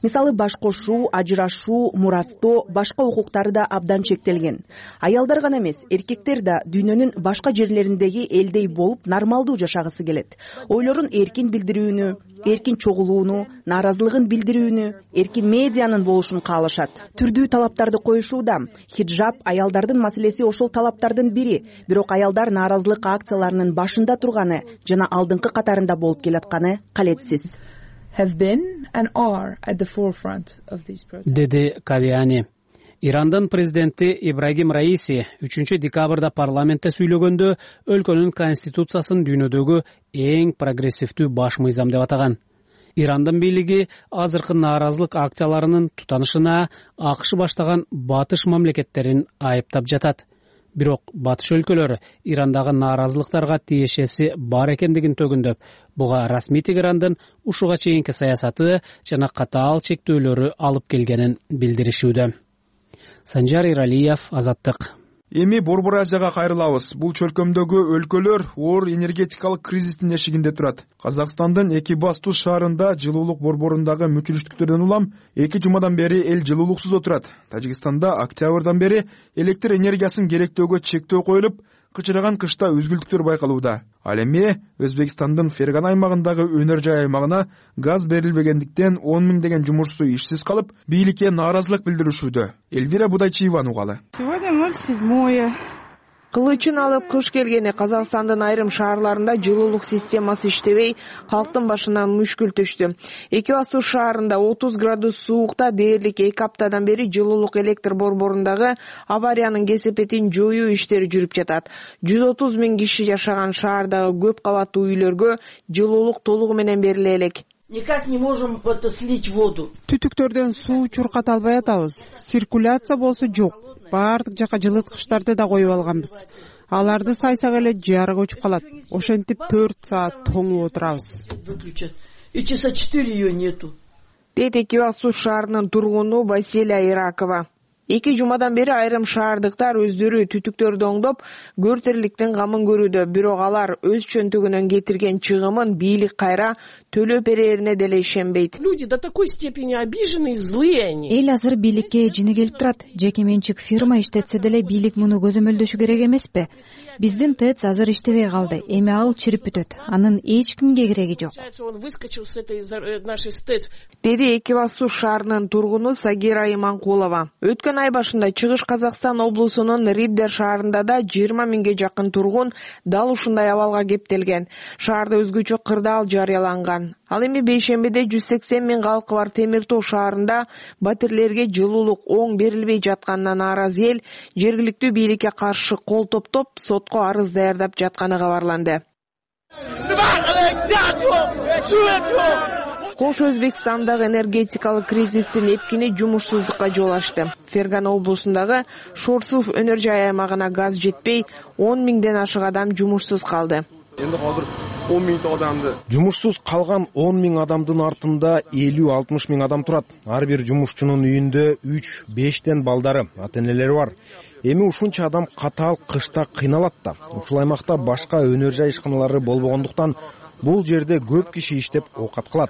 Мисалы, баш кошуу, ажырашуу, мурастоо, башка укуктары да абдан чектелген. Аялдар гана эмес, эркектер да дүйнөнүн башка жерлериндеги элдей болуп нормалдуу жашагысы келет. Ойлорун эркин билдирүүнү, эркин чогулууну, нааразылыгын билдирүүнү, эркин медианын болушун каалашат. Түрдүү талаптарды коюшууда. Хиджаб аялдардын маселеси ошол талаптардын бири, бирок аялдар нааразылык акцияларынын башында турганы жана алдыңкы катарында болуп келатканы калетсиз. Деди Кавиани. Ирандын президенти Ибрагим Раиси 3 декабрда парламентте сүйлөгөндө өлкөнүн конституциясын дүйнөдөгү эң прогрессивдүү баш мыйзам деп атаган. Ирандын бийлиги азыркы нааразылык акцияларынын тутанышына АКШ баштаган батыш мамлекеттерин айыптап жатат. Бирок батыш өлкөлөрү Ирандагы нааразылыктарга тиешеси бар экендигин төгүндөп, буга расмий Тегерандын ушуга чейинки саясаты жана катаал чектөөлөрү алып келгенин билдиришүүдө. Санжар Иралиев, Азаттык. Эми Борбор Азияга кайрылабыз. Бул чөлкөмдөгү өлкөлөр оор энергетикалык кризистин эшигинде турат. Казакстандын Экибастуз шаарында жылуулук борборундагы мүчүлүштүктөрдөн улам 2 жумадан бери эл жылуулуксуз отурат. Тажикстанда октябрдан бери электр энергиясын керектөөгө чектөө коюлуп, кычыраган кышта үзгүлтүктөр байкалууда. Ал эми Өзбекстандын Ферган аймагындагы өнөр жай аймагына газ берилбегендиктен 10 миңдеген жумушчу ишсиз калып, бийликке нааразылык билдиришүүдө. Элвира Будайчиеванын угалы. Кылычын алып кыш келгени Казакстандын айрым шаарларында жылуулук системасы иштебей, калктын башына мүшкүл түштү. Экибастуз шаарында 30 градус суукта дээрлик 2 аптадан бери жылуулук электр борборундагы авариянын кесепетин жоюу иштери жүрүп жатат. 130 миң киши жашаган шаардагы көп кабаттуу үйлөргө жылуулук толугу менен бериле элек. Никак не можем слить воду. Түтүктөрдөн суу чурката албай атабыз. Циркуляция болсо жок. баардык жака жылыткычтарды да коюп алганбыз. Аларды сайсак эле жарык өчүп калат. Ошентип 4 саат тоңуп отурабыз. И часа 4 ее нету. Дейт Экибастуз шаарынын тургуну Василия Иракова. 2 жумадан бери айрым шаардыктар өздөрү түтүктөрдү оңдоп, көртөрлүктүн камын көрүүдө. Бирок алар өз чөнтөгүнөн кетирген чыгымын бийлик кайра төлөп берерине деле ишенбейт. Люди до такой степени обижены и злые они. Эл азыр бийликке жини келип турат. Жеке менчик фирма иштетсе деле бийлик муну көзөмөлдөшү керек эмеспи? Биздин ТЭЦ азыр иштебей калды. Эми ал чирип бүтөт. Анын эч кимге кереги жок. Он выскочил с этой нашей ТЭЦ. Деди Экибастуз шаарынын тургуну Сагира Иманкулова. Өткөн ай башында Чыгыш Казакстан облусунун Риддер шаарында да 20 миңге жакын тургун дал ушундай абалга кептелген. Шаарда өзгөчө кырдаал жарыяланган. Ал эми бейшембиде 180 миң калкы бар Темир Тоо шаарында батирлерге жылуулук оң берилбей жатканына нааразы эл жергиликтүү бийликке каршы кол топтоп сотко арыз даярдап жатканы кабарланды. Кош Өзбекстандагы энергетикалык кризистин эпкини жумушсуздукка жол ачты. Фергана облусундагы Шорсуф өнөр жай аймагына газ жетпей 10 миңден ашык адам жумушсуз калды. Эми азыр 10 миң адамды жумушсуз калган 10 миң адамдын артында 50-60 миң адам турат. Ар бир жумушчунун үйүндө 3-5тен балдары, ата-энелери бар. Эми ушунча адам катаал кышта кыйналат да. Ушул аймакта башка өнөр жай ишканалары болбогондуктан бул жерде көп киши иштеп оокат кылат.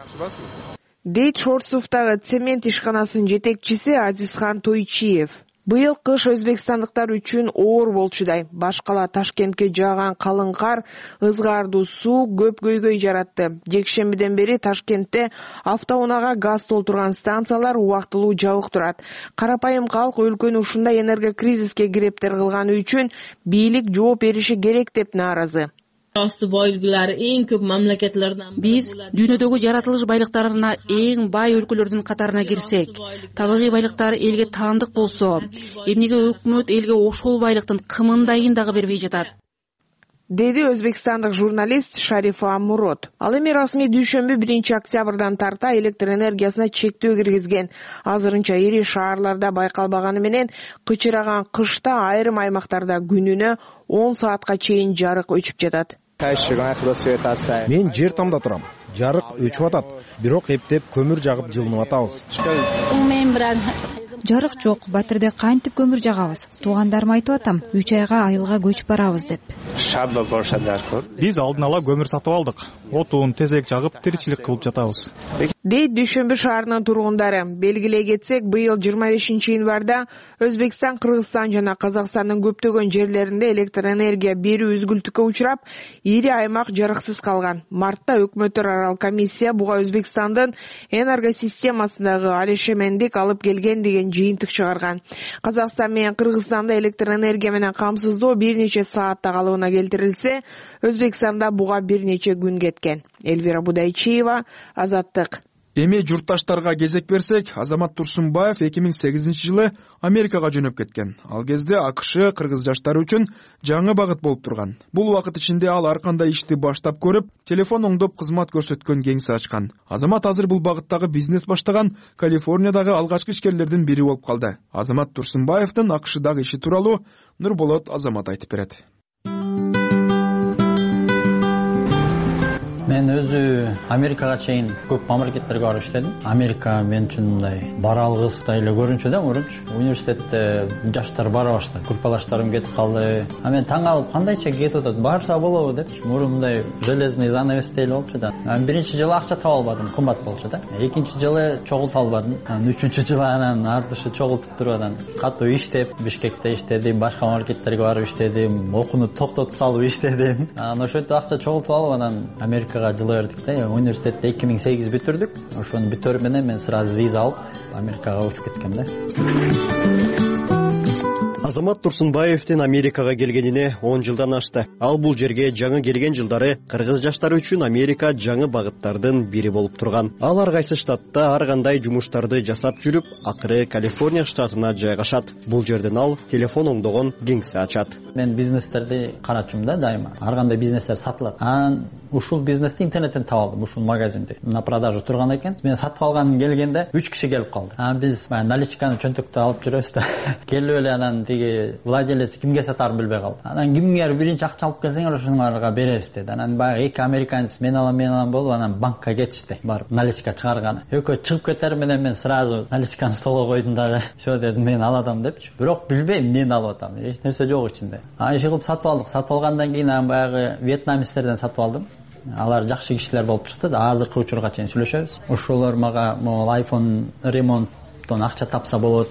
Дейт Шорсуфтагы цемент ишканасынын жетекчиси Азизхан Тойчиев. Быйыл кыш өзбекстандыктар үчүн оор болчудай. Башкала Ташкентке жааган калың кар, ызгаардуу суу көп көйгөй жаратты. Жекшембиден бери Ташкентте автоунаага газ толтурган станциялар убактылуу жабык турат. Карапайым калк өлкөнү ушундай энергокризиске кирептер кылганы үчүн бийлик жооп бериши керек деп нааразы. Биз дүйнөдөгү жаратылыш байлыктарына эң бай өлкөлөрдүн катарына кирсек, табигый байлыктар элге таандык болсо, эмнеге өкмөт элге ошол байлыктын кымындайын дагы бербей жатат? Деди өзбекстандык журналист Шарифа Мурод. Ал эми расмий дүйшөмбү 1 октябрдан тарта электр энергиясына чектөө киргизген. Азырынча ири шаарларда байкалбаганы менен кычыраган кышта айрым аймактарда күнүнө 10 саатка чейин жарык өчүп жатат. Мен жер тамда турам. Жарык өчүп атат. Бирок эптеп көмүр жагып жылынып атабыз. Жарык жок, батирде кантип көмүр жагабыз? Туугандарым айтып атам, 3 айга айылга көчүп барабыз деп. Биз алдын ала көмүр сатып алдык. Отун, тезек жагып тиричилик кылып жатабыз. Дейт Дүйшөмбү шаарынын тургундары. Белгилей кетсек, быйыл 25-январда Өзбекстан, Кыргызстан жана Казакстандын көптөгөн жерлеринде электр энергия берүү үзгүлтүккө учурап, ири аймак жарыксыз калган. Мартта өкмөттөр арал комиссия буга Өзбекстандын энергосистемасындагы алешемендик алып келген деген жыйынтык чыгарган. Казакстан менен Кыргызстанда электр энергия менен камсыздоо бир нече саатта калыбына келтирилсе, Өзбекстанда буга бир нече күн кеткен. Элвира Будайчиева, Азаттык. Эми журтташтарга кезек берсек, Азамат Турсунбаев 2008-жылы Америкага жөнөп кеткен. Ал кезде АКШ кыргыз жаштары үчүн жаңы багыт болуп турган. Бул убакыт ичинде ал ар кандай ишти баштап көрүп, телефон оңдоп кызмат көрсөткөн кеңсе ачкан. Азамат азыр бул багыттагы бизнес баштаган Калифорниядагы алгачкы ишкерлердин бири болуп калды. Азамат Турсунбаевдин АКШдагы иши тууралуу Нурболот Азамат айтып берет. Мен өзү Америкага чейин көп мамлекеттерге барып иштедим. Америка мен үчүн мындай баралгыстай эле көрүнчү да, университетте жаштар бара баштады, группалаштарым кетип калды. Мен таң калып, кандайча кетип атат, барса болобу деп. Мурун мындай железный занавестей эле болчу да. Биринчи жылы акча таба албадым, кымбат болчу да. Экинчи жылы чогулта албадым. Үчүнчү жылы анан артышы чогултуп туруп анан катуу иштеп, Бишкекте иштедим, башка мамлекеттерге барып иштедим, окууну токтотуп салып иштедим. Анан ошентип акча чогултуп алып анан Америкага жылы бердик да. Университетти 2008 бүтүрдүк. Ошону бүтөрүп менен мен сразу виза алып Америкага учуп кеткем да. Азамат Турсунбаевдин Америкага келгенине 10 жылдан ашты. Ал бул жерге жаңы келген жылдары кыргыз жаштары үчүн Америка жаңы багыттардын бири болуп турган. Ал ар кайсы штатта ар кандай жумуштарды жасап жүрүп, акыры Калифорния штатына жайгашат. Бул жерден ал телефон оңдогон кеңсе ачат. Мен бизнестерди карачумун да дайыма. Ар кандай бизнестер сатылат. Анан ушул бизнести интернеттен таап алдым, ушул магазинди. На продажа турган экен. Мен сатып алганым келгенде 3 киши келип калды. Биз наличканы чөнтөктө алып жүрөбүз да. Келип эле анан тиги владелец кимге сатаарын билбей калды. Анан кимге биринчи акча алып келсеңер ошоңарга беребиз деди. Анан баягы эки американец мен алам болуп анан банкка кетишти. Барып наличка чыгарганы. Экөө чыгып кетер менен мен сразу наличканы столго койдум дагы. Все дедим, мен алатам депчи. Бирок билбейм эмнени алып атам. Эч нерсе жок ичинде. Иши кылып сатып алдык. Сатып алгандан кийин анан баягы вьетнамецтерден сатып алдым. Алар жакшы кишилер болуп чыкты. Азыркы учурга чейин сүйлөшөбүз. Ошолор мага могул iPhone ремонттон акча тапса болот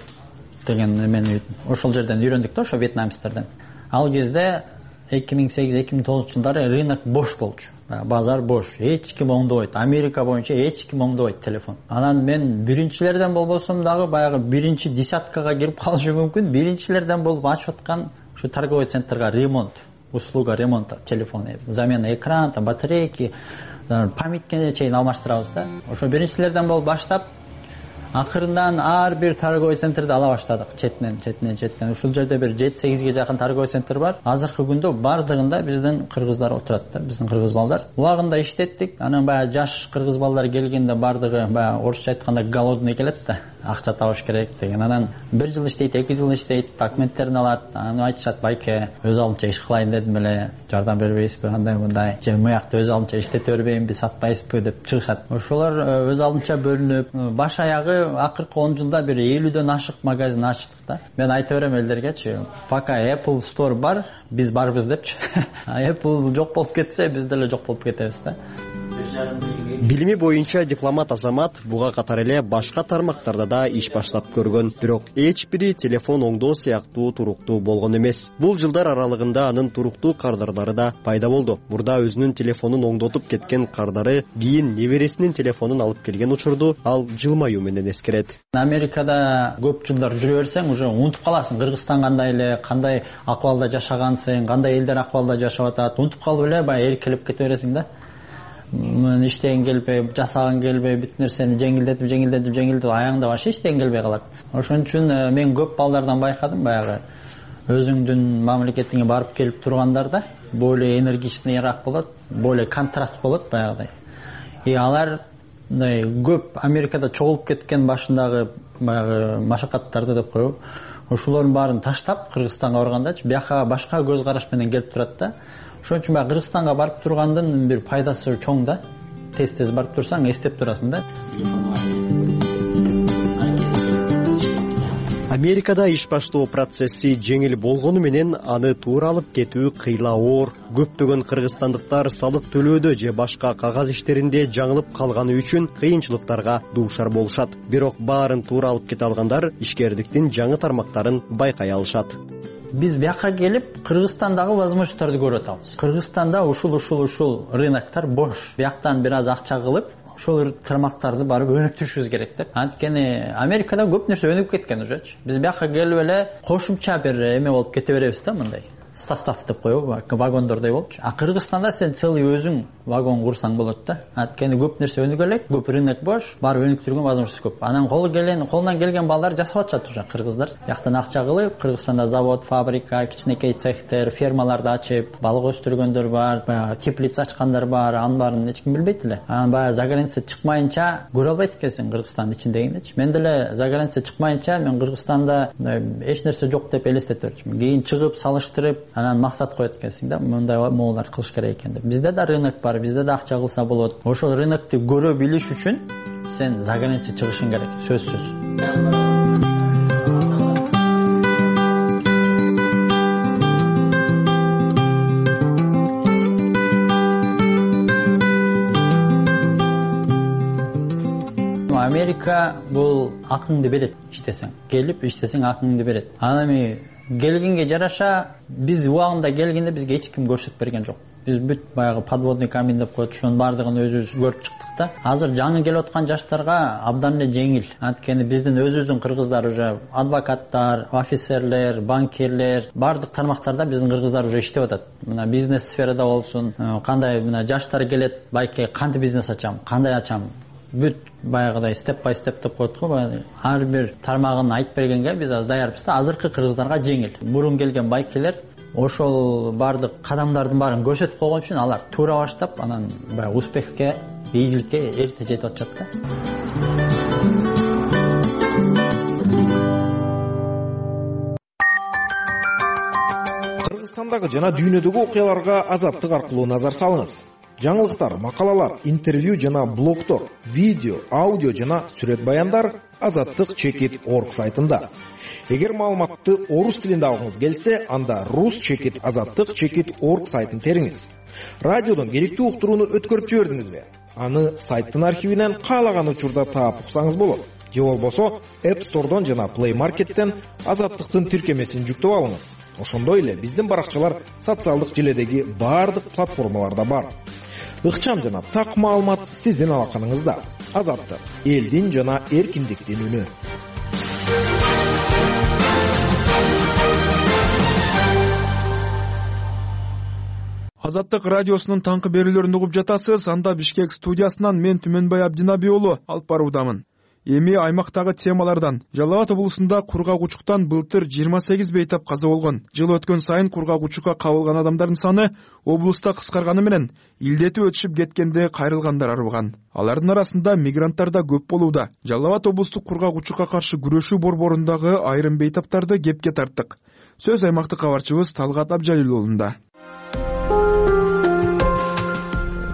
деген эмени ошол жерден үйрөндүк да, ошо вьетнамецтерден. Ал кезде 2008-2009 жылдары рынок бош болчу. Базар бош. Эч ким оңдобойт. Америка боюнча эч ким оңдобойт телефон. Анан мен биринчилерден болбосом дагы баягы биринчи десяткага кирип калышы мүмкүн. Биринчилерден болуп ачып аткан ушу торговый центрга ремонт, услуга ремонта телефона, замена экрана, батарейки, памяткене чейин алмаштырабыз да. Ошо биринчилерден болуп баштап, акырындан ар бир торговый центрди ала баштадык. Четинен. Ушул жерде бир 7-8ге жакын торговый центр бар. Азыркы күндө бардыгында биздин кыргыздар отурат да, биздин кыргыз балдар. Улагында иштеттик. Анан баягы жаш кыргыз балдар келгенде бардыгы баягы орусча айтканда голодный келет да. Акча табыш керек деген. Анан 1 жыл иштейт, 2 жыл иштейт, документтерин алат. Анан айтышат, байке, өз алдымча иш кылайын дедим эле, жардам бербейсизби, андай мындай. Же муякта өз алдымча иштете бербейинби, сатпайсызбы деп чыгышат. Ошолор өз алдымча бөлүнүп, баш аягы акыркы 10 жылда бир 50дөн ашык магазин ачтык да. Мен айта берем элдергечи, пока Apple Store бар, биз барбыз депчи. Apple жок болуп кетсе, биз деле жок болуп кетебиз да. Билими боюнча дипломат Азамат буга катар эле башка тармактарда да иш баштап көргөн, бирок эч бири телефон оңдоо сыяктуу туруктуу болгон эмес. Бул жылдар аралыгында анын туруктуу кардарлары да пайда болду. Мурда өзүнүн телефонун оңдотуп кеткен кардары кийин небересинин телефонун алып келген учурду ал жылмаюу менен эскерет. Америкада көп жылдар жүрө берсең, уже унутуп каласың Кыргызстан кандай эле, кандай акыбалда жашагансың, кандай элдер акыбалда жашап атат, унутуп калып эле баягы эркелеп кете бересиң да. Мен иштеген келбей, жасаган келбей, бүт нерсени жеңилдетип аягында башы иштеген келбей калат. Ошон үчүн мен көп балдардан байкадым, баягы өзүңдүн мамлекетиңе барып келип тургандарда более энергичныйраак болот, более контраст болот баягыдай. Алар көп Америкада чогулуп кеткен башындагы баягы машакаттарды деп коебу. Ошолордун баарын таштап Кыргызстанга баргандачы бияка башка көз караш менен келип турат да. Ошон үчүн баягы Кыргызстанга барып тургандын бир пайдасы чоң да. Тез барып турсаң эстеп турасың да. Америкада иш баштоо процесси жеңил болгону менен аны туура алып кетүү кыйла оор. Көптөгөн кыргызстандыктар салык төлөөдө же башка кагаз иштеринде жаңылып калганы үчүн кыйынчылыктарга дуушар болушат. Бирок баарын туура алып кете алгандар ишкердиктин жаңы тармактарын байкай алышат. Биз бияка келип Кыргызстандагы возможностторду көрүп атабыз. Кыргызстанда ушул рыноктор бош. Бияктан бир аз акча кылып, ошол тармактарды барып өнүктүрүшүбүз керек деп. Анткени Америкада көп нерсе өнүгүп кеткен ужечи. Биз бияка келип эле кошумча бир эме болуп кете беребиз да, мындай. Состав деп коебу, вагондордой болчу. А Кыргызстанда сен целый өзүң вагон курсаң болот да. Анткени көп нерсе өнүгө элек, көп рынок бош, барып өнүктүргөн возможность көп. Анан колунан келген балдар жасап атышат уже кыргыздар. Жактан акча кылып, Кыргызстанда завод, фабрика, кичинекей цехтер, фермаларды ачып, балык өстүргөндөр бар, баягы теплица ачкандар бар, анын баарын эч ким билбейт эле. Анан баягы за граница чыкмайынча көрө албайт экенсиң Кыргызстандын ичиндегинечи. Мен деле за граница чыкмайынча мен Кыргызстанда эч нерсе жок деп элестете берчүмүн. Кийин чыгып, салыштырып, анан максат коет экенсиң да, мындай могулар кылыш керек экен деп. Бизде да рынок бар, бизде да акча кылса болот. Ошол рынокту көрө билиш үчүн сен за граница чыгышың керек, сөзсүз. Америка бул акыңды берет иштесең. Келип иштесең акыңды берет. Анан эми келгенге жараша биз убагында келгенде бизге эч ким көрсөтүп берген жок. Биз бүт баягы подводный камень деп коет, ошонун баардыгын өзүбүз көрүп чыктык да. Азыр жаңы келип аткан жаштарга абдан эле жеңил. Анткени биздин өзүбүздүн кыргыздар уже адвокаттар, офицерлер, банкирлер, баардык тармактарда биздин кыргыздар уже иштеп атат. Мына бизнес сферада болсун, кандай мына жаштар келет, байке кантип бизнес ачам, кандай ачам, бүт баягыдай степ бай степ деп коет го, ар бир тармагын айтып бергенге биз аз даярбыз да. Азыркы кыргыздарга жеңил. Мурун келген байкелер ошол баардык кадамдардын баарын көрсөтүп койгон үчүн алар туура баштап, анан баягы успехке, ийгиликке эрте жетип атышат да. Аймактагы жана дүйнөдөгү окуяларга Азаттык аркылуу назар салыңыз. Жаңылыктар, макалалар, интервью жана блогдор, видео, аудио жана сүрөт баяндар azattik.org сайтында. Эгер маалыматты орус тилинде алгыңыз келсе, анда rus.azattik.org сайтын териңиз. Радиодон керектүү уктурууну өткөрүп жибердиңизби? Аны сайттын архивинен каалаган учурда таап уксаңыз болот. Же болбосо App Store'дон жана Play Market'тен Азаттыктын тиркемесин жүктөп алыңыз. Ошондой эле биздин баракчалар социалдык желедеги баардык платформаларда бар. Ыкчам жана так маалымат сиздин алаканыңызда. Азаттык — элдин жана эркиндиктин үнү. Азаттык радиосунун таңкы берүүлөрүн угуп жатасыз. Анда Бишкек студиясынан мен Түмөнбай Абдинаби уулу алып баруудамын. Эми аймактагы темалардан. Жалал Абад облусунда кургак учуктан былтыр 28 бейтап каза болгон. Жыл өткөн сайын кургак учукка кабылган адамдардын саны облуста кыскарганы менен илдети өтүшүп кеткенде кайрылгандар арбыган. Алардын арасында мигранттар да көп болууда. Жалал Абад облустук кургак учукка каршы күрөшүү борборундагы айрым бейтаптарды кепке тарттык. Сөз аймактык кабарчыбыз Талгат Абжалил уулунда.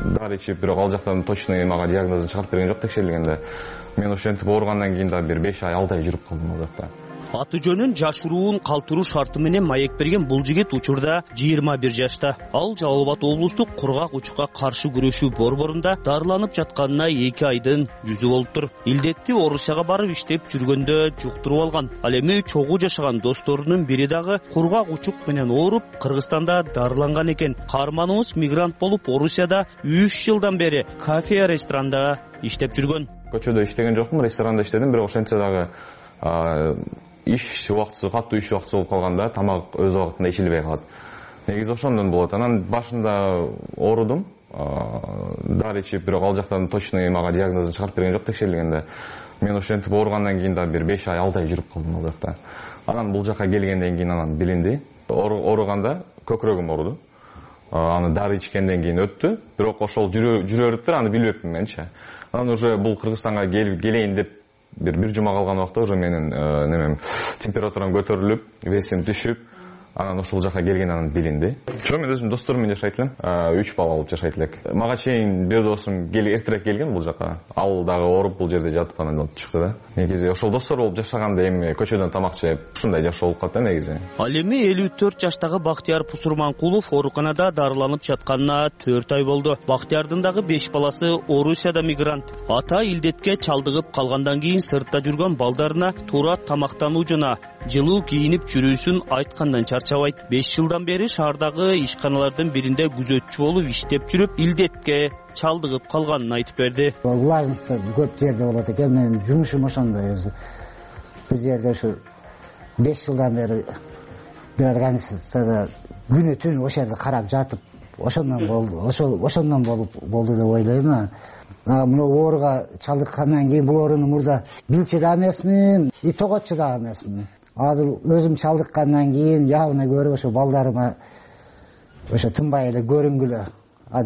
Дары ичип, бирок ал жактан точно мага диагнозун чыгарып берген жок текшерилгенде. Мен ошентип ооругандан кийин да бир 5 ай 6 ай жүрүп калдым ал жакта. Аты жөнүн жашыруун калтыруу шарты менен маек берген бул жигит учурда 21 жашта. Ал Жалал Абад облустук кургак учукка каршы күрөшүү борборунда дарыланып жатканына 2 айдын жүзү болуптур. Илдетти Орусияга барып иштеп жүргөндө жуктуруп алган. Ал эми чогуу жашаган досторунун бири дагы кургак учук менен ооруп Кыргызстанда дарыланган экен. Каарманыбыз мигрант болуп Орусияда 3 жылдан бери кафе ресторанда иштеп жүргөн. Көчөдө иштеген жокмун, ресторанда иштедим, бирок ошентсе дагы иш убактысы, катуу иш убактысы болуп калганда тамак өз убактында ичилбей калат. Негизи ошондон болот. Анан башында оорудум, дары ичип, бирок ал жактан точно мага диагнозун чыгарып берген жок текшерилгенде. Мен ошентип ооругандан кийин да бир 5 ай 6 ай жүрүп калдым ал жакта. Анан бул жака келгенден кийин анан билинди. Ооруганда көкүрөгүм ооруду. Аны дары ичкенден кийин өттү, бирок ошол жүрө-өтүптүр, аны билбепмин менчи. Анан уже бул Кыргызстанга келейин деп бир жума калган убакта уже менин температурам көтөрүлүп, весим түшүп, анан ошол жака келген билинди. Жок, мен өзүм досторум менен жашайт элем, 3 бала болуп жашайт элек. Мага чейин бир досум эртерээк келген бул жака. Ал дагы ооруп бул жерде жатып анан чыкты да. Негизи ошол достор болуп жашаганда эми көчөдөн тамак жеп, ушундай жашоо болуп калат да негизи. Ал эми 54 жаштагы Бактияр Пусурманкулов ооруканада дарыланып жатканына 4 ай болду. Бактиярдын дагы 5 баласы Орусияда мигрант. Ата илдетке чалдыгып калгандан кийин сыртта жүргөн балдарына туура тамактануу жана жылуу кийинип жүрүүсүн айткандан чарчабайт. 5 жылдан бери шаардагы ишканалардын биринде күзөтчү болуп иштеп жүрүп, илдетке чалдыгып калганын айтып берди. Влажность көп жерде болот экен, менин жумушум ошондой өзү. Бул жерде ушу 5 жылдан бери бир организацияда күнү түн ошол жерде карап жатып, ошондон болду деп ойлойм. Мына ооруга чалдыккандан кийин бул ооруну мурда билчү да эмесмин, и тоготчу да эмесмин. Азыр өзүм чалдыккандан кийин явно көрүп ошо балдарыма ошо тынбай эле көрүнгүлө.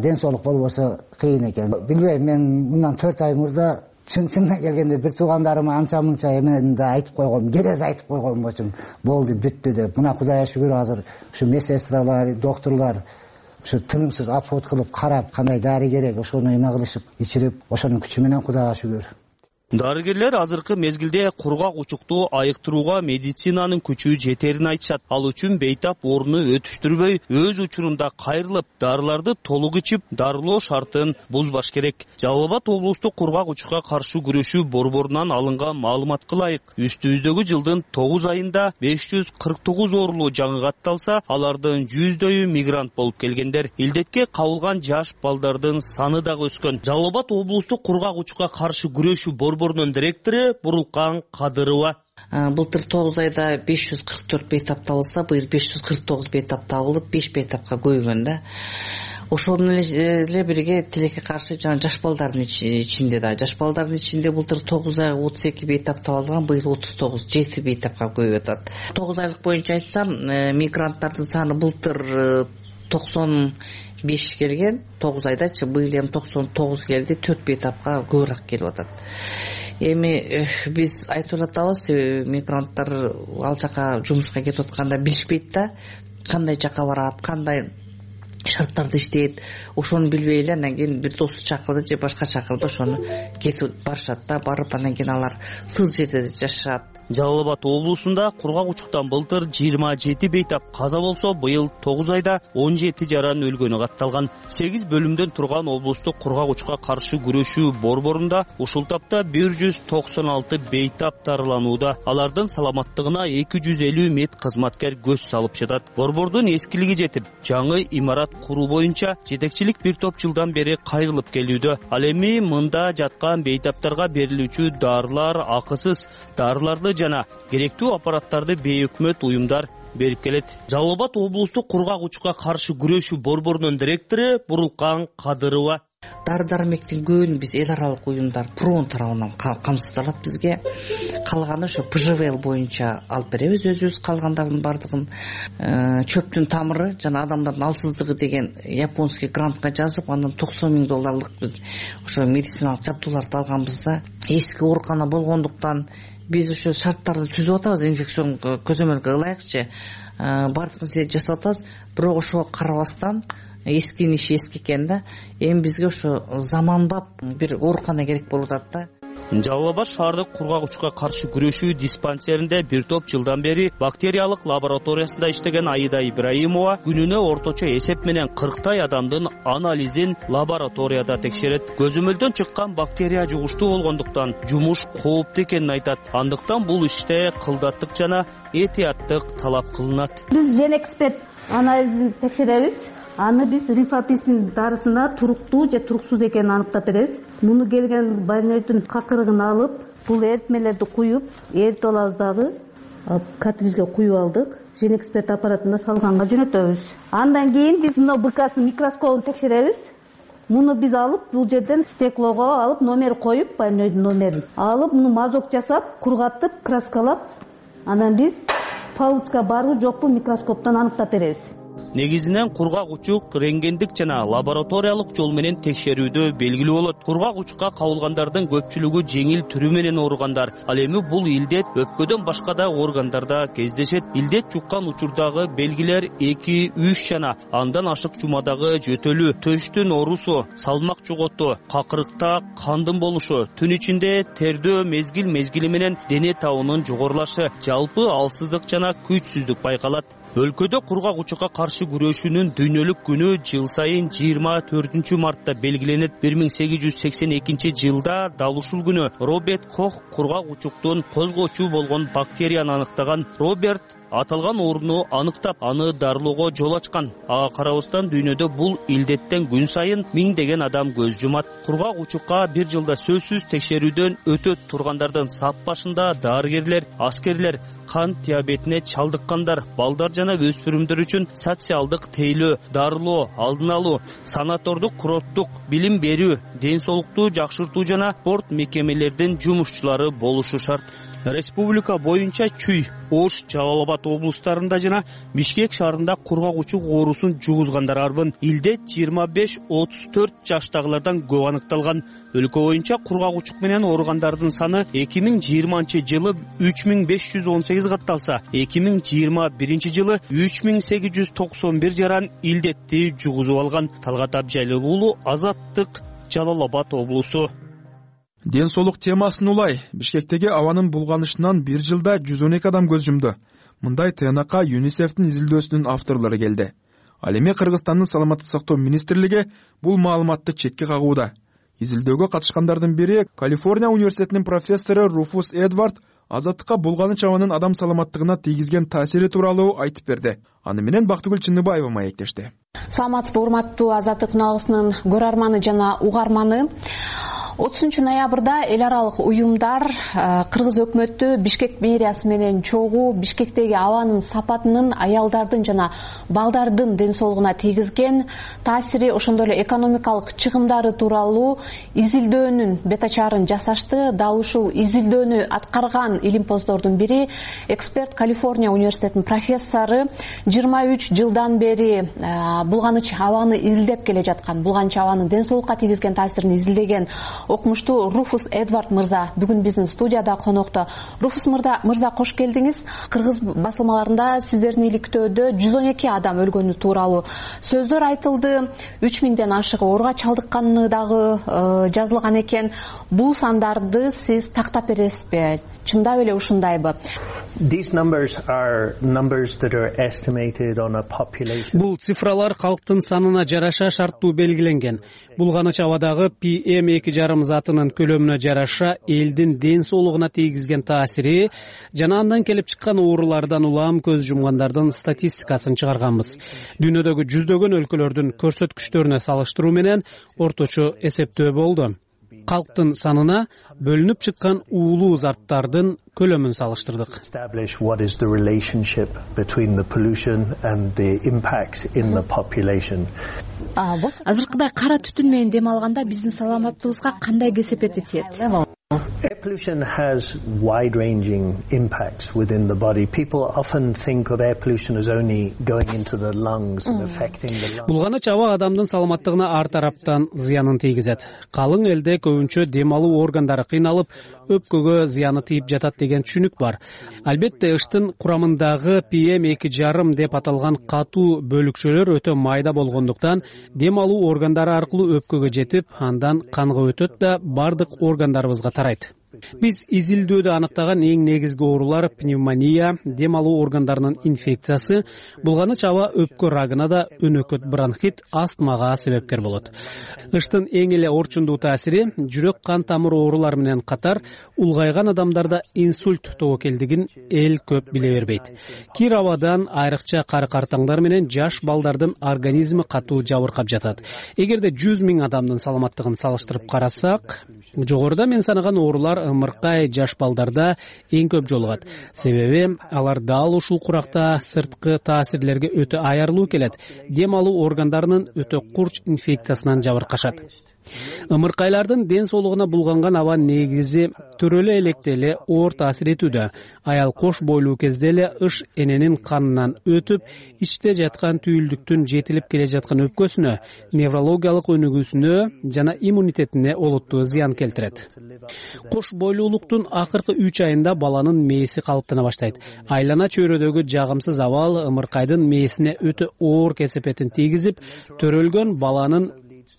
Ден соолук болбосо кыйын экен. Билбейм, мен мындан 4 ай мурда чынына келгенде бир туугандарыма анча-мынча эменде айтып койгом, керез айтып койгом болчумун. Болду, бүттү деп. Мына Кудайга шүгүр, азыр ушу медсестралар, доктурлар ушу тынымсыз обход кылып карап, кандай дары керек, ошону эме кылышып, ичирип, ошонун күчү менен Кудайга шүгүр. Дарыгерлер азыркы мезгилде кургак учукту айыктырууга медицинанын күчү жетерин айтышат. Ал үчүн бейтап ооруну өтүштүрбөй, өз учурунда кайрылып, дарыларды толук ичип, дарылоо шартын бузбаш керек. Жалал Абад облустук кургак учукка каршы күрөшүү борборунан алынган маалыматка ылайык, үстүбүздөгү жылдын 9 айында 549 оорулуу жаңы катталса, алардын 100дөйү мигрант болуп келгендер. Илдетке кабылган жаш балдардын саны дагы өскөн. Жалал Абад облустук кургак учукка каршы күрөшүү борборунун директору Бурулкан Кадырова. Былтыр 9 айда 544 бейтап табылса, быйыл 549 бейтап табылып, 5 бейтапка көбөйгөн да. Ошол менен эле бирге тилекке каршы жаш балдардын ичинде да. Жаш балдардын ичинде былтыр 9 айга 32 бейтап табылган, быйыл 39, 7 бейтапка көбөйүп атат. 9 айлык боюнча айтсам, мигранттардын саны былтыр 95 келген, 9 айдачы, быйыл эми 99 келди, 4 бейтапка көбүрөөк келип атат. Эми биз айтып атабыз, мигранттар ал жака жумушка кетип атканда билишпейт да. кандай жака барат, кандай шарттарда иштейт, ошону билбей эле андан кийин бир досу чакырды же башка чакырды, ошону кетип барышат да, барып андан кийин алар сыз жерде жашашат. Жалал Абад облусунда кургак учуктан былтыр 27 бейтап каза болсо, быйыл 9 айда 17 жаран өлгөнү катталган. 8 бөлүмдөн турган облустук кургак учукка каршы күрөшүү борборунда ушул тапта 196 бейтап дарыланууда. Алардын саламаттыгына 250 мед кызматкер көз салып жатат. Борбордун эскилиги жетип, жаңы имарат куруу боюнча жетекчилик бир топ жылдан бери кайрылып келүүдө. Ал эми мында жаткан бейтаптарга берилүүчү дарылар акысыз, дарыларды жана керектүү аппараттарды бейөкмөт уюмдар берип келет. Жалал Абад облустук кургак учукка каршы күрөшүү борборунун директору Бурулкан Кадырова: дары-дармектин көбүн биз эл аралык уюмдар ПРОН тарабынан камсыздалат бизге. Калганы ошо ПЖВЛ боюнча алып беребиз өзүбүз. Калгандардын бардыгын чөптүн тамыры жана адамдардын алсыздыгы деген японский грантка жазып, андан $90,000 биз ошо медициналык жабдууларды алганбыз да. Эски оорукана болгондуктан биз ошо шарттарды түзүп атабыз, инфекцион көзөмөлгө ылайыкчы бардык нерсе жасап атабыз. Бирок ошого карабастан эскинин иши эски экен да, эми бизге ошо заманбап бир оорукана керек болуп атат да. Жалал Абад шаардык кургак учукка каршы күрөшүү диспансеринде бир топ жылдан бери бактериялык лабораториясында иштеген Аида Ибраимова күнүнө орточо эсеп менен 40 адамдын анализин лабораторияда текшерет. Көзөмөлдөн чыккан бактерия жугуштуу болгондуктан жумуш кооптуу экенин айтат. Андыктан бул иште кылдаттык жана этияттык талап кылынат. Биз Женэкспет анализин текшеребиз. Аны биз рифаписин дарысына туруктуу же туруксуз экенин аныктап беребиз. Муну келген больнойдун какырыгын алып, бул эритмелерди куюп, эритип алабыз дагы. Картрижге куюп алдык. Женэкспет аппаратына салганга жөнөтөбүз. Андан кийин биз мына БКС микроскопун текшеребиз. Муну биз алып, бул жерден стеклого алып, номер коюп, больнойдун номерин алып, муну мазок жасап, кургатып, краскалап, анан биз палычка барбы жокпу микроскоптон аныктап беребиз. Негизинен кургак учук рентгендик жана лабораториялык жол менен текшерүүдө белгилүү болот. Кургак учукка кабылгандардын көпчүлүгү жеңил түрү менен ооругандар. Ал эми бул илдет өпкөдөн башка да органдарда кездешет. Илдет жуккан учурдагы белгилер 2-3 жана андан ашык жумадагы жөтөлүү, төштүн оорусу, салмак жоготуу, какырыкта кандын болушу, түн ичинде тердөө мезгил менен дене табынын жогорулашы, жалпы алсыздык жана күчсүздүк байкалат. Өлкөдө кургак учукка каршы күрөшүүнүн дүйнөлүк күнү жыл сайын 24 мартта белгиленет. 1882 жылда дал ушул күнү Роберт Кох кургак учуктун козгоочу болгон бактерияны аныктаган. Роберт аталган ооруну аныктап, аны дарылоого жол ачкан. Ага карабастан дүйнөдө бул илдеттен күн сайын миңдеген адам көз жумат. Кургак учукка бир жылда сөзсүз текшерүүдөн өтөт тургандардын сап башында дарыгерлер, аскерлер, кант диабетине чалдыккандар, балдар жана өспүрүмдөр үчүн социалдык тейлөө, дарылоо, алдын алуу, санатордук, курорттук билим берүү, ден соолукту жакшыртуу жана спорт мекемелердин жумушчулары болушу шарт. Республика боюнча Чүй, Ош, Жалал Абад облустарында жана Бишкек шаарында кургак учук оорусун жугузгандар арбын. Илдет 25-34 жаштагылардан көп аныкталган. Өлкө боюнча кургак учук менен ооругандардын саны 2020 жылы 3518 катталса, 2021 жылы 3891 жаран илдетти жугузуп алган. Талгат Абжайлы уулу, Азаттык, Жалал Абад облусу. Ден соолук темасын улай. Бишкектеги абанын булганышынан бир жылда 112 адам көз жумду. Мындай ТНК ЮНИСЕФтин изилдөөсүнүн авторлору келди. Ал эми Кыргызстандын саламаттык сактоо министрлиги бул маалыматты четке кагууда. Изилдөөгө катышкандардын бири Калифорния университетинин профессору Руфус Эдвард Азаттыкка булганыч абанын адам саламаттыгына тийгизген таасири тууралуу айтып берди. Аны менен Бактыгүл Чындыбаева маектешти. Саламатсызбы, урматтуу Азаттык каналыбызынын көрөрманы жана угарманы. 30 ноябрда эл аралык уюмдар кыргыз өкмөтү Бишкек мэриясы менен чогуу Бишкектеги абанын сапатынын аялдардын жана балдардын ден соолугуна тийгизген таасири, ошондой эле экономикалык чыгымдары тууралуу изилдөөнүн бет ачарын жасашты. Дал ушул изилдөөнү аткарган илимпоздордун бири эксперт Калифорния университетинин профессору 23 жылдан бери булганыч абаны изилдеп келе жаткан, булганыч абанын ден соолукка тийгизген таасирин изилдеген окумуштуу Руфус Эдвард мырза бүгүн биздин студияда конокто. Руфус мырза кош келдиңиз. Кыргыз басылмаларында сиздердин иликтөөдө 112 адам өлгөнү тууралуу сөздөр айтылды. 3000ден ашык ооруга чалдыкканы дагы жазылган экен. Бул сандарды сиз тактап бересизби? Чындап эле ушундайбы? Бул цифралар калктын санына жараша шарттуу белгиленген. Булганыч абадагы PM2,5 затынын көлөмүнө жараша элдин ден соолугуна тийгизген таасири жана андан келип чыккан оорулардан улам көз жумгандардын статистикасын чыгарганбыз. Дүйнөдөгү жүздөгөн өлкөлөрдүн көрсөткүчтөрүнө салыштыруу менен орточо эсептөө болду. Калктын санына бөлүнүп чыккан уулуу заттардын көлөмүн салыштырдык. Азыркыдай кара түтүн менен дем алганда биздин саламаттыгыбызга кандай кесепети тиет? Air pollution has wide-ranging impacts within the body. People often think of air pollution as only going into the lungs and affecting the lungs. Булганыч аба адамдын саламаттыгына ар тараптан зыянын тийгизет. Калың элде көбүнчө дем алуу органдары кыйналып, өпкөгө зыяны тийип жатат деген түшүнүк бар. Албетте ыштын курамындагы PM2,5 деп аталган катуу бөлүкчөлөр өтө майда болгондуктан дем алуу органдары аркылуу өпкөгө жетип, андан канга өтөт да бардык органдарыбызга тарайт. Биз изилдөөдө аныктаган эң негизги оорулар пневмония, дем алуу органдарынын инфекциясы, булганыч аба өпкө рагына да өнөкөт бронхит, астмага себепкер болот. Ыштын эң эле орчундуу таасири жүрөк кан тамыр оорулары менен катар улгайган адамдарда инсульт тобокелдигин эл көп биле бербейт. Кир абадан айрыкча кары картаңдар менен жаш балдардын организми катуу жабыркап жатат. Эгерде 100 000 адамдын саламаттыгын салыштырып карасак, жогоруда мен санаган оорулар ымыркай жаш балдарда эң көп жолугат. Себеби алар дал ушул куракта сырткы таасирлерге өтө аярлуу келет. Дем алуу органдарынын өтө курч инфекциясынан жабыркашат. Ымыркайлардын ден соолугуна булганган аба негизи төрөлө электе эле оор таасир этүүдө. Аял кош бойлуу кезде эле ыш эненин канынан өтүп, ичте жаткан түйүлдүктүн жетилип келе жаткан өпкөсүнө, неврологиялык өнүгүүсүнө жана иммунитетине олуттуу зыян келтирет. Кош бойлуулуктун акыркы 3 айында баланын мээси калыптана баштайт. Айлана чөйрөдөгү жагымсыз абал ымыркайдын мээсине өтө оор кесепетин тийгизип, төрөлгөн баланын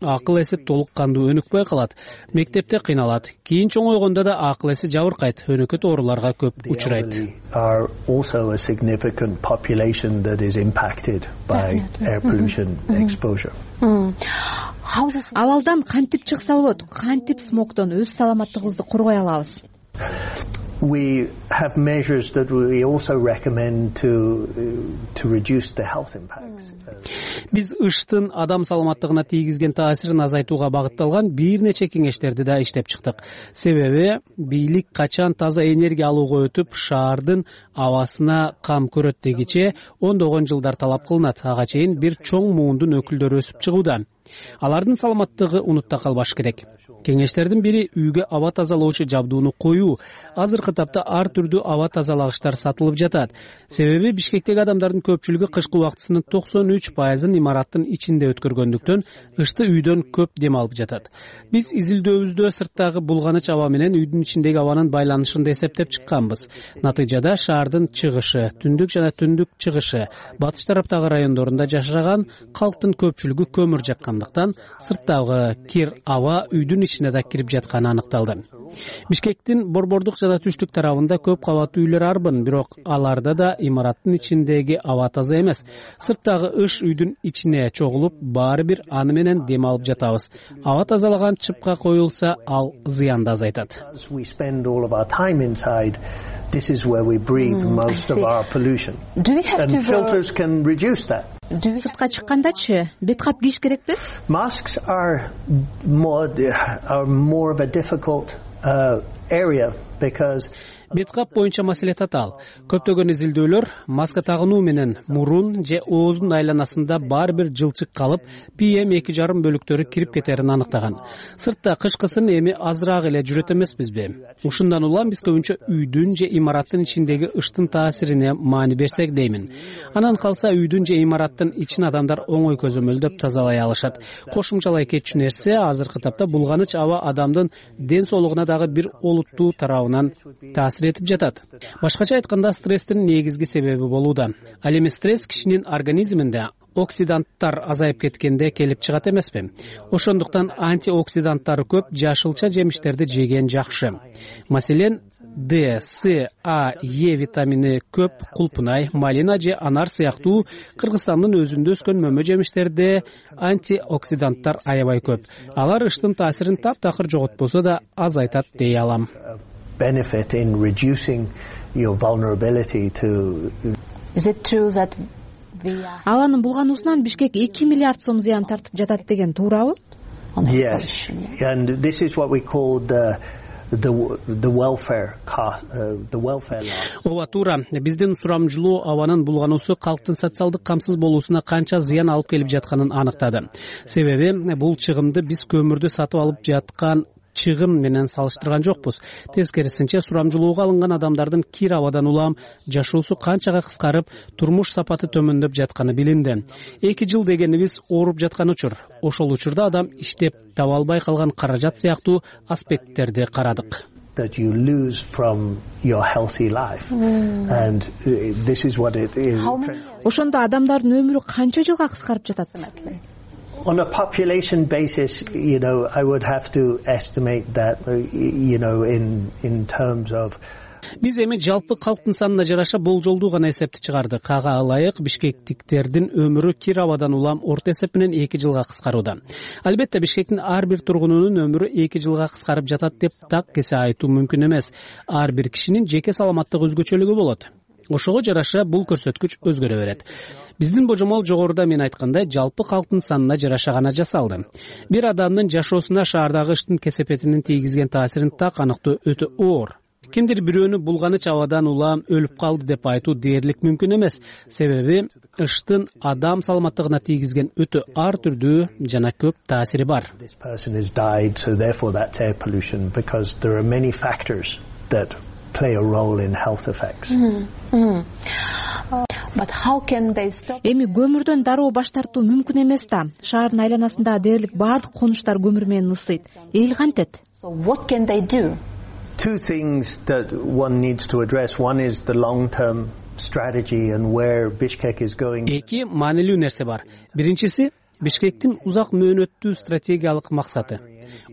акыл эси толук кандуу өнүкпөй калат. Мектепте кыйналат. Кийин чоңойгондо да акыл эси жабыркайт, өнөкөт ооруларга көп учурайт. Абалдан кантип чыкса болот? Кантип смогдон өз саламаттыгыбызды коргой алабыз? We have measures that we also recommend to reduce the health impacts. Биз ыштын адам саламаттыгына тийгизген таасирин азайтууга багытталган бир нече кеңештерди да иштеп чыктык. Себеби бийлик качан таза энергия алууга өтүп, шаардын абасына кам көрөт дегиче ондогон жылдар талап кылынат. Ага чейин бир чоң муундун өкүлдөрү өсүп чыгууда. Алардын саламаттыгы унутта калбаш керек. Кеңештердин бири үйгө аба тазалоочу жабдууну коюу. Азыркы тапта ар түрдүү аба тазалагычтар сатылып жатат. Себеби Бишкектеги адамдардын көпчүлүгү кышкы убактысынын 93%ын имараттын ичинде өткөргөндүктөн ышты үйдөн көп дем алып жатат. Биз изилдөөбүздө сырттагы булганыч аба менен үйдүн ичиндеги абанын байланышын эсептеп чыкканбыз. Натыйжада шаардын чыгышы, түндүк жана түндүк чыгышы, батыш тараптагы райондорунда жашаган калктын көпчүлүгү көмүр жаккандыктан сырттагы кир аба үйдүн ичине да кирип жатканы аныкталды. Бишкектин борбордук жана түштүк тарабында көп кабаттуу үйлөр арбын, бирок аларда да имараттын ичиндеги аба таза эмес. Сырттагы ыш үйдүн ичине чогулуп, баары бир аны менен дем алып жатабыз. Аба тазалаган чыпка коюлса, ал зыянды азайтат. This is where we breathe most of our pollution. And filters can reduce that. Сыртка чыккандачы бет кап кийиш керекпи? Masks are more of a difficult area because бет кап боюнча маселе татаал. Көптөгөн изилдөөлөр маска тагынуу менен мурун же ооздун айланасында бар бир жылчык калып, PM2,5 бөлүктөрү кирип кетерин аныктаган. Сыртта кышкысын эми азыраак эле жүрөт эмеспизби? Ушундан улам биз көбүнчө үйдүн же имараттын ичиндеги ыштын таасирине маани берсек деймин. Анан калса үйдүн же имараттын ичин адамдар оңой көзөмөлдөп тазалай алышат. Кошумчалай кетчү нерсе азыркы тапта булганыч аба адамдын ден соолугуна дагы бир олуттуу тарабынан таасир этип жатат. Башкача айтканда, стресстин негизги себеби болууда. Ал эми стресс кишинин организминде оксиданттар азайып кеткенде келип чыгат эмеспи? Ошондуктан антиоксиданттары көп жашылча жемиштерди жеген жакшы. Маселен, D, C, A, E витамини көп кулпунай, малина же анар сыяктуу Кыргызстандын өзүндө өскөн мөмө жемиштерде антиоксиданттар аябай көп. Алар ыштын таасирин таптакыр жоготпосо да азайтат дей алам. Benefit in reducing your vulnerability to. Is it true that Абанын булгануусунан Бишкек 2 миллиард сом зыян тартып жатат деген туурабы? Yes, and this is what we call the welfare law. Ооба, туура. Биздин сурамжылоо абанын булгануусу калктын социалдык камсыз болуусуна канча зыян алып келип жатканын аныктады. Себеби бул чыгымды биз көмүрдү сатып алып жаткан чыгым менен салыштырган жокпуз. Тескерисинче, сурамжылоого алынган адамдардын кир абадан улам жашоосу канчага кыскарып, турмуш сапаты төмөндөп жатканы билинди. 2 жыл дегенибиз ооруп жаткан учур. Ошол учурда адам иштеп таба албай калган каражат сыяктуу аспекттерди карадык. That you lose from your healthy life, and this is what it is. Ошондо адамдардын өмүрү канча жылга кыскарып жатат? On a population basis, I would have to estimate that, in terms of. Биз эми жалпы калктын санына жараша болжолдуу гана эсепти чыгардык. Ага ылайык бишкектиктердин өмүрү кир абадан улам орто эсеп менен 2 жылга кыскарууда. Албетте Бишкектин ар бир тургунунун өмүрү 2 жылга кыскарып жатат деп так кесе айтуу мүмкүн эмес. Ар бир кишинин жеке саламаттыгы өзгөчөлүгү болот. Ошого жараша бул көрсөткүч өзгөрө берет. Биздин божомол жогоруда мен айткандай жалпы калктын санына жараша гана жасалды. Бир адамдын жашоосуна шаардагы ыштын кесепетинин тийгизген таасирин так аныктоо өтө оор. Кимдир бирөөнү булганыч абадан улам өлүп калды деп айтуу дээрлик мүмкүн эмес. Себеби ыштын адам саламаттыгына тийгизген өтө ар түрдүү жана көп таасири бар. This person has died, so therefore that's air pollution, because there are many factors that play a role in health effects. But how can they stop? Эми көмүрдөн дароо баш тартуу мүмкүн эмес да. Шаардын айланасында дээрлик бардык конуштар көмүр менен ысыйт. Эл кантет? So what can they do? Two things that one needs to address. One is the long-term strategy and where Bishkek is going. Эки маанилүү нерсе бар. Биринчиси Бишкектин узак мөөнөттүү стратегиялык максаты.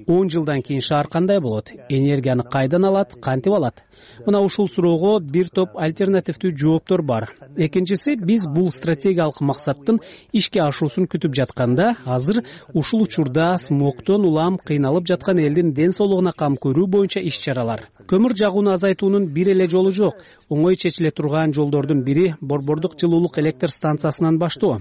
10 жылдан кийин шаар кандай болот? Энергияны кайдан алат, кантип алат? Мына ушул суроого бир топ альтернативдүү жооптор бар. Экинчиси, биз бул стратегиялык максаттын ишке ашуусун күтүп жатканда, азыр ушул учурда смогтон улам кыйналып жаткан элдин ден соолугуна кам көрүү боюнча иш-чаралар. Көмүр жагууну азайтуунун бир эле жолу жок. Оңой чечиле турган жолдордун бири Борбордук жылуулук электр станциясынан баштоо.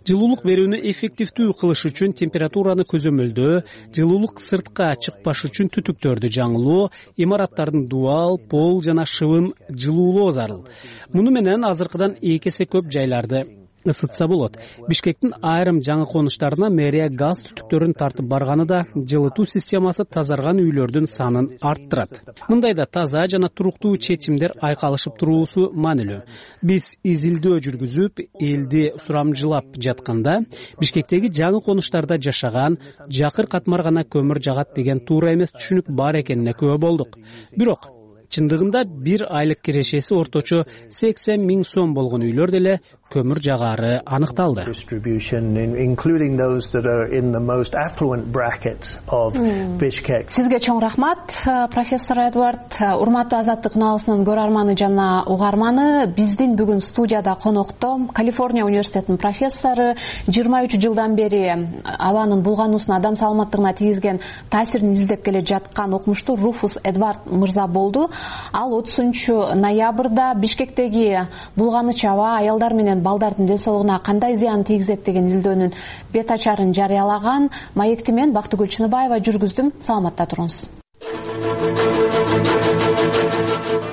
Жылуулук берүүнү эффективдүү кылыш үчүн температураны көзөмөлдөө, жылуулук сыртка чыкпаш үчүн түтүктөрдү жаңылоо, имараттардын дуал, пол жана шыбын жылуулоо зарыл. Муну менен азыркыдан 2 эсе көп жайларды ысытса болот. Бишкектин айрым жаңы конуштарына мэрия газ түтүктөрүн тартып барганы да жылытуу системасы тазарган үйлөрдүн санын арттырат. Мындайда таза жана туруктуу чечимдер айкалышып туруусу маанилүү. Биз изилдөө жүргүзүп, элди сурамжылап жатканда Бишкектеги жаңы конуштарда жашаган, жакыр катмар гана көмүр жагат деген туура эмес түшүнүк бар экенине күбө болдук. Бирок чындыгында бир айлык кирешеси орточо 80 000 сом болгон үйлөр деле көмүр жагары аныкталды. Including those that are in the most affluent bracket of Bishkek. Сизге чоң рахмат, профессор Эдвард. Урматтуу Азаттык налысынын көрөрманы жана угарманы, биздин бүгүн студияда конокто Калифорния университетинин профессору, 23 жылдан бери абанын булгануусуна адам саламаттыгына тийгизген таасирин изилдеп келе жаткан окумуштуу Руфус Эдвард мырза болду. Ал 30 ноябрда Бишкектеги булганыч аба аялдар менен балдардын ден соолугуна кандай зыян тийгизет деген изилдөөнүн бет ачарын жарыялаган. Маекти мен Бактыгүл Чыныбаева жүргүздүм. Саламатта туруңуз.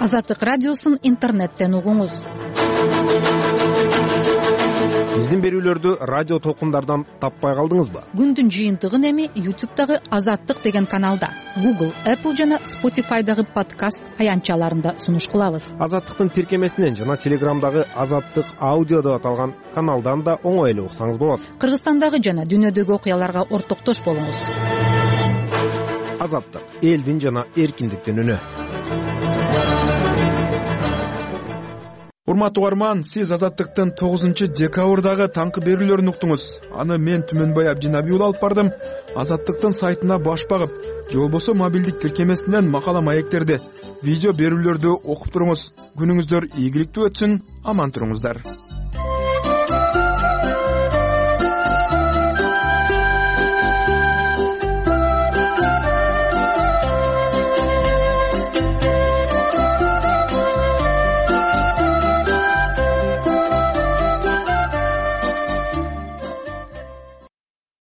Азаттык радиосун интернеттен угуңуз. Биздин берүүлөрдү радио толкундардан таппай калдыңызбы? Күндүн жыйынтыгын эми YouTube'дагы Азаттык деген каналда, Google, Apple жана Spotify'дагы подкаст аянтчаларында сунуш кылабыз. Азаттыктын тиркемесинен жана Телеграмдагы Азаттык аудио деп аталган каналдан да оңой эле уксаңыз болот. Кыргызстандагы жана дүйнөдөгү окуяларга ортоктош болуңуз. Азаттык — элдин жана эркиндиктин үнү. Урматтуу угарман, сиз Азаттыктын 9-декабрдагы таңкы берүүлөрүн уктуңуз. Аны мен Түмөнбай Абдинабий уулу алып бардым. Азаттыктын сайтына баш багып, же болбосо мобилдик тиркемесинен макала маектерди, видео берүүлөрдү окуп туруңуз. Күнүңүздөр ийгиликтүү өтсүн, аман туруңуздар.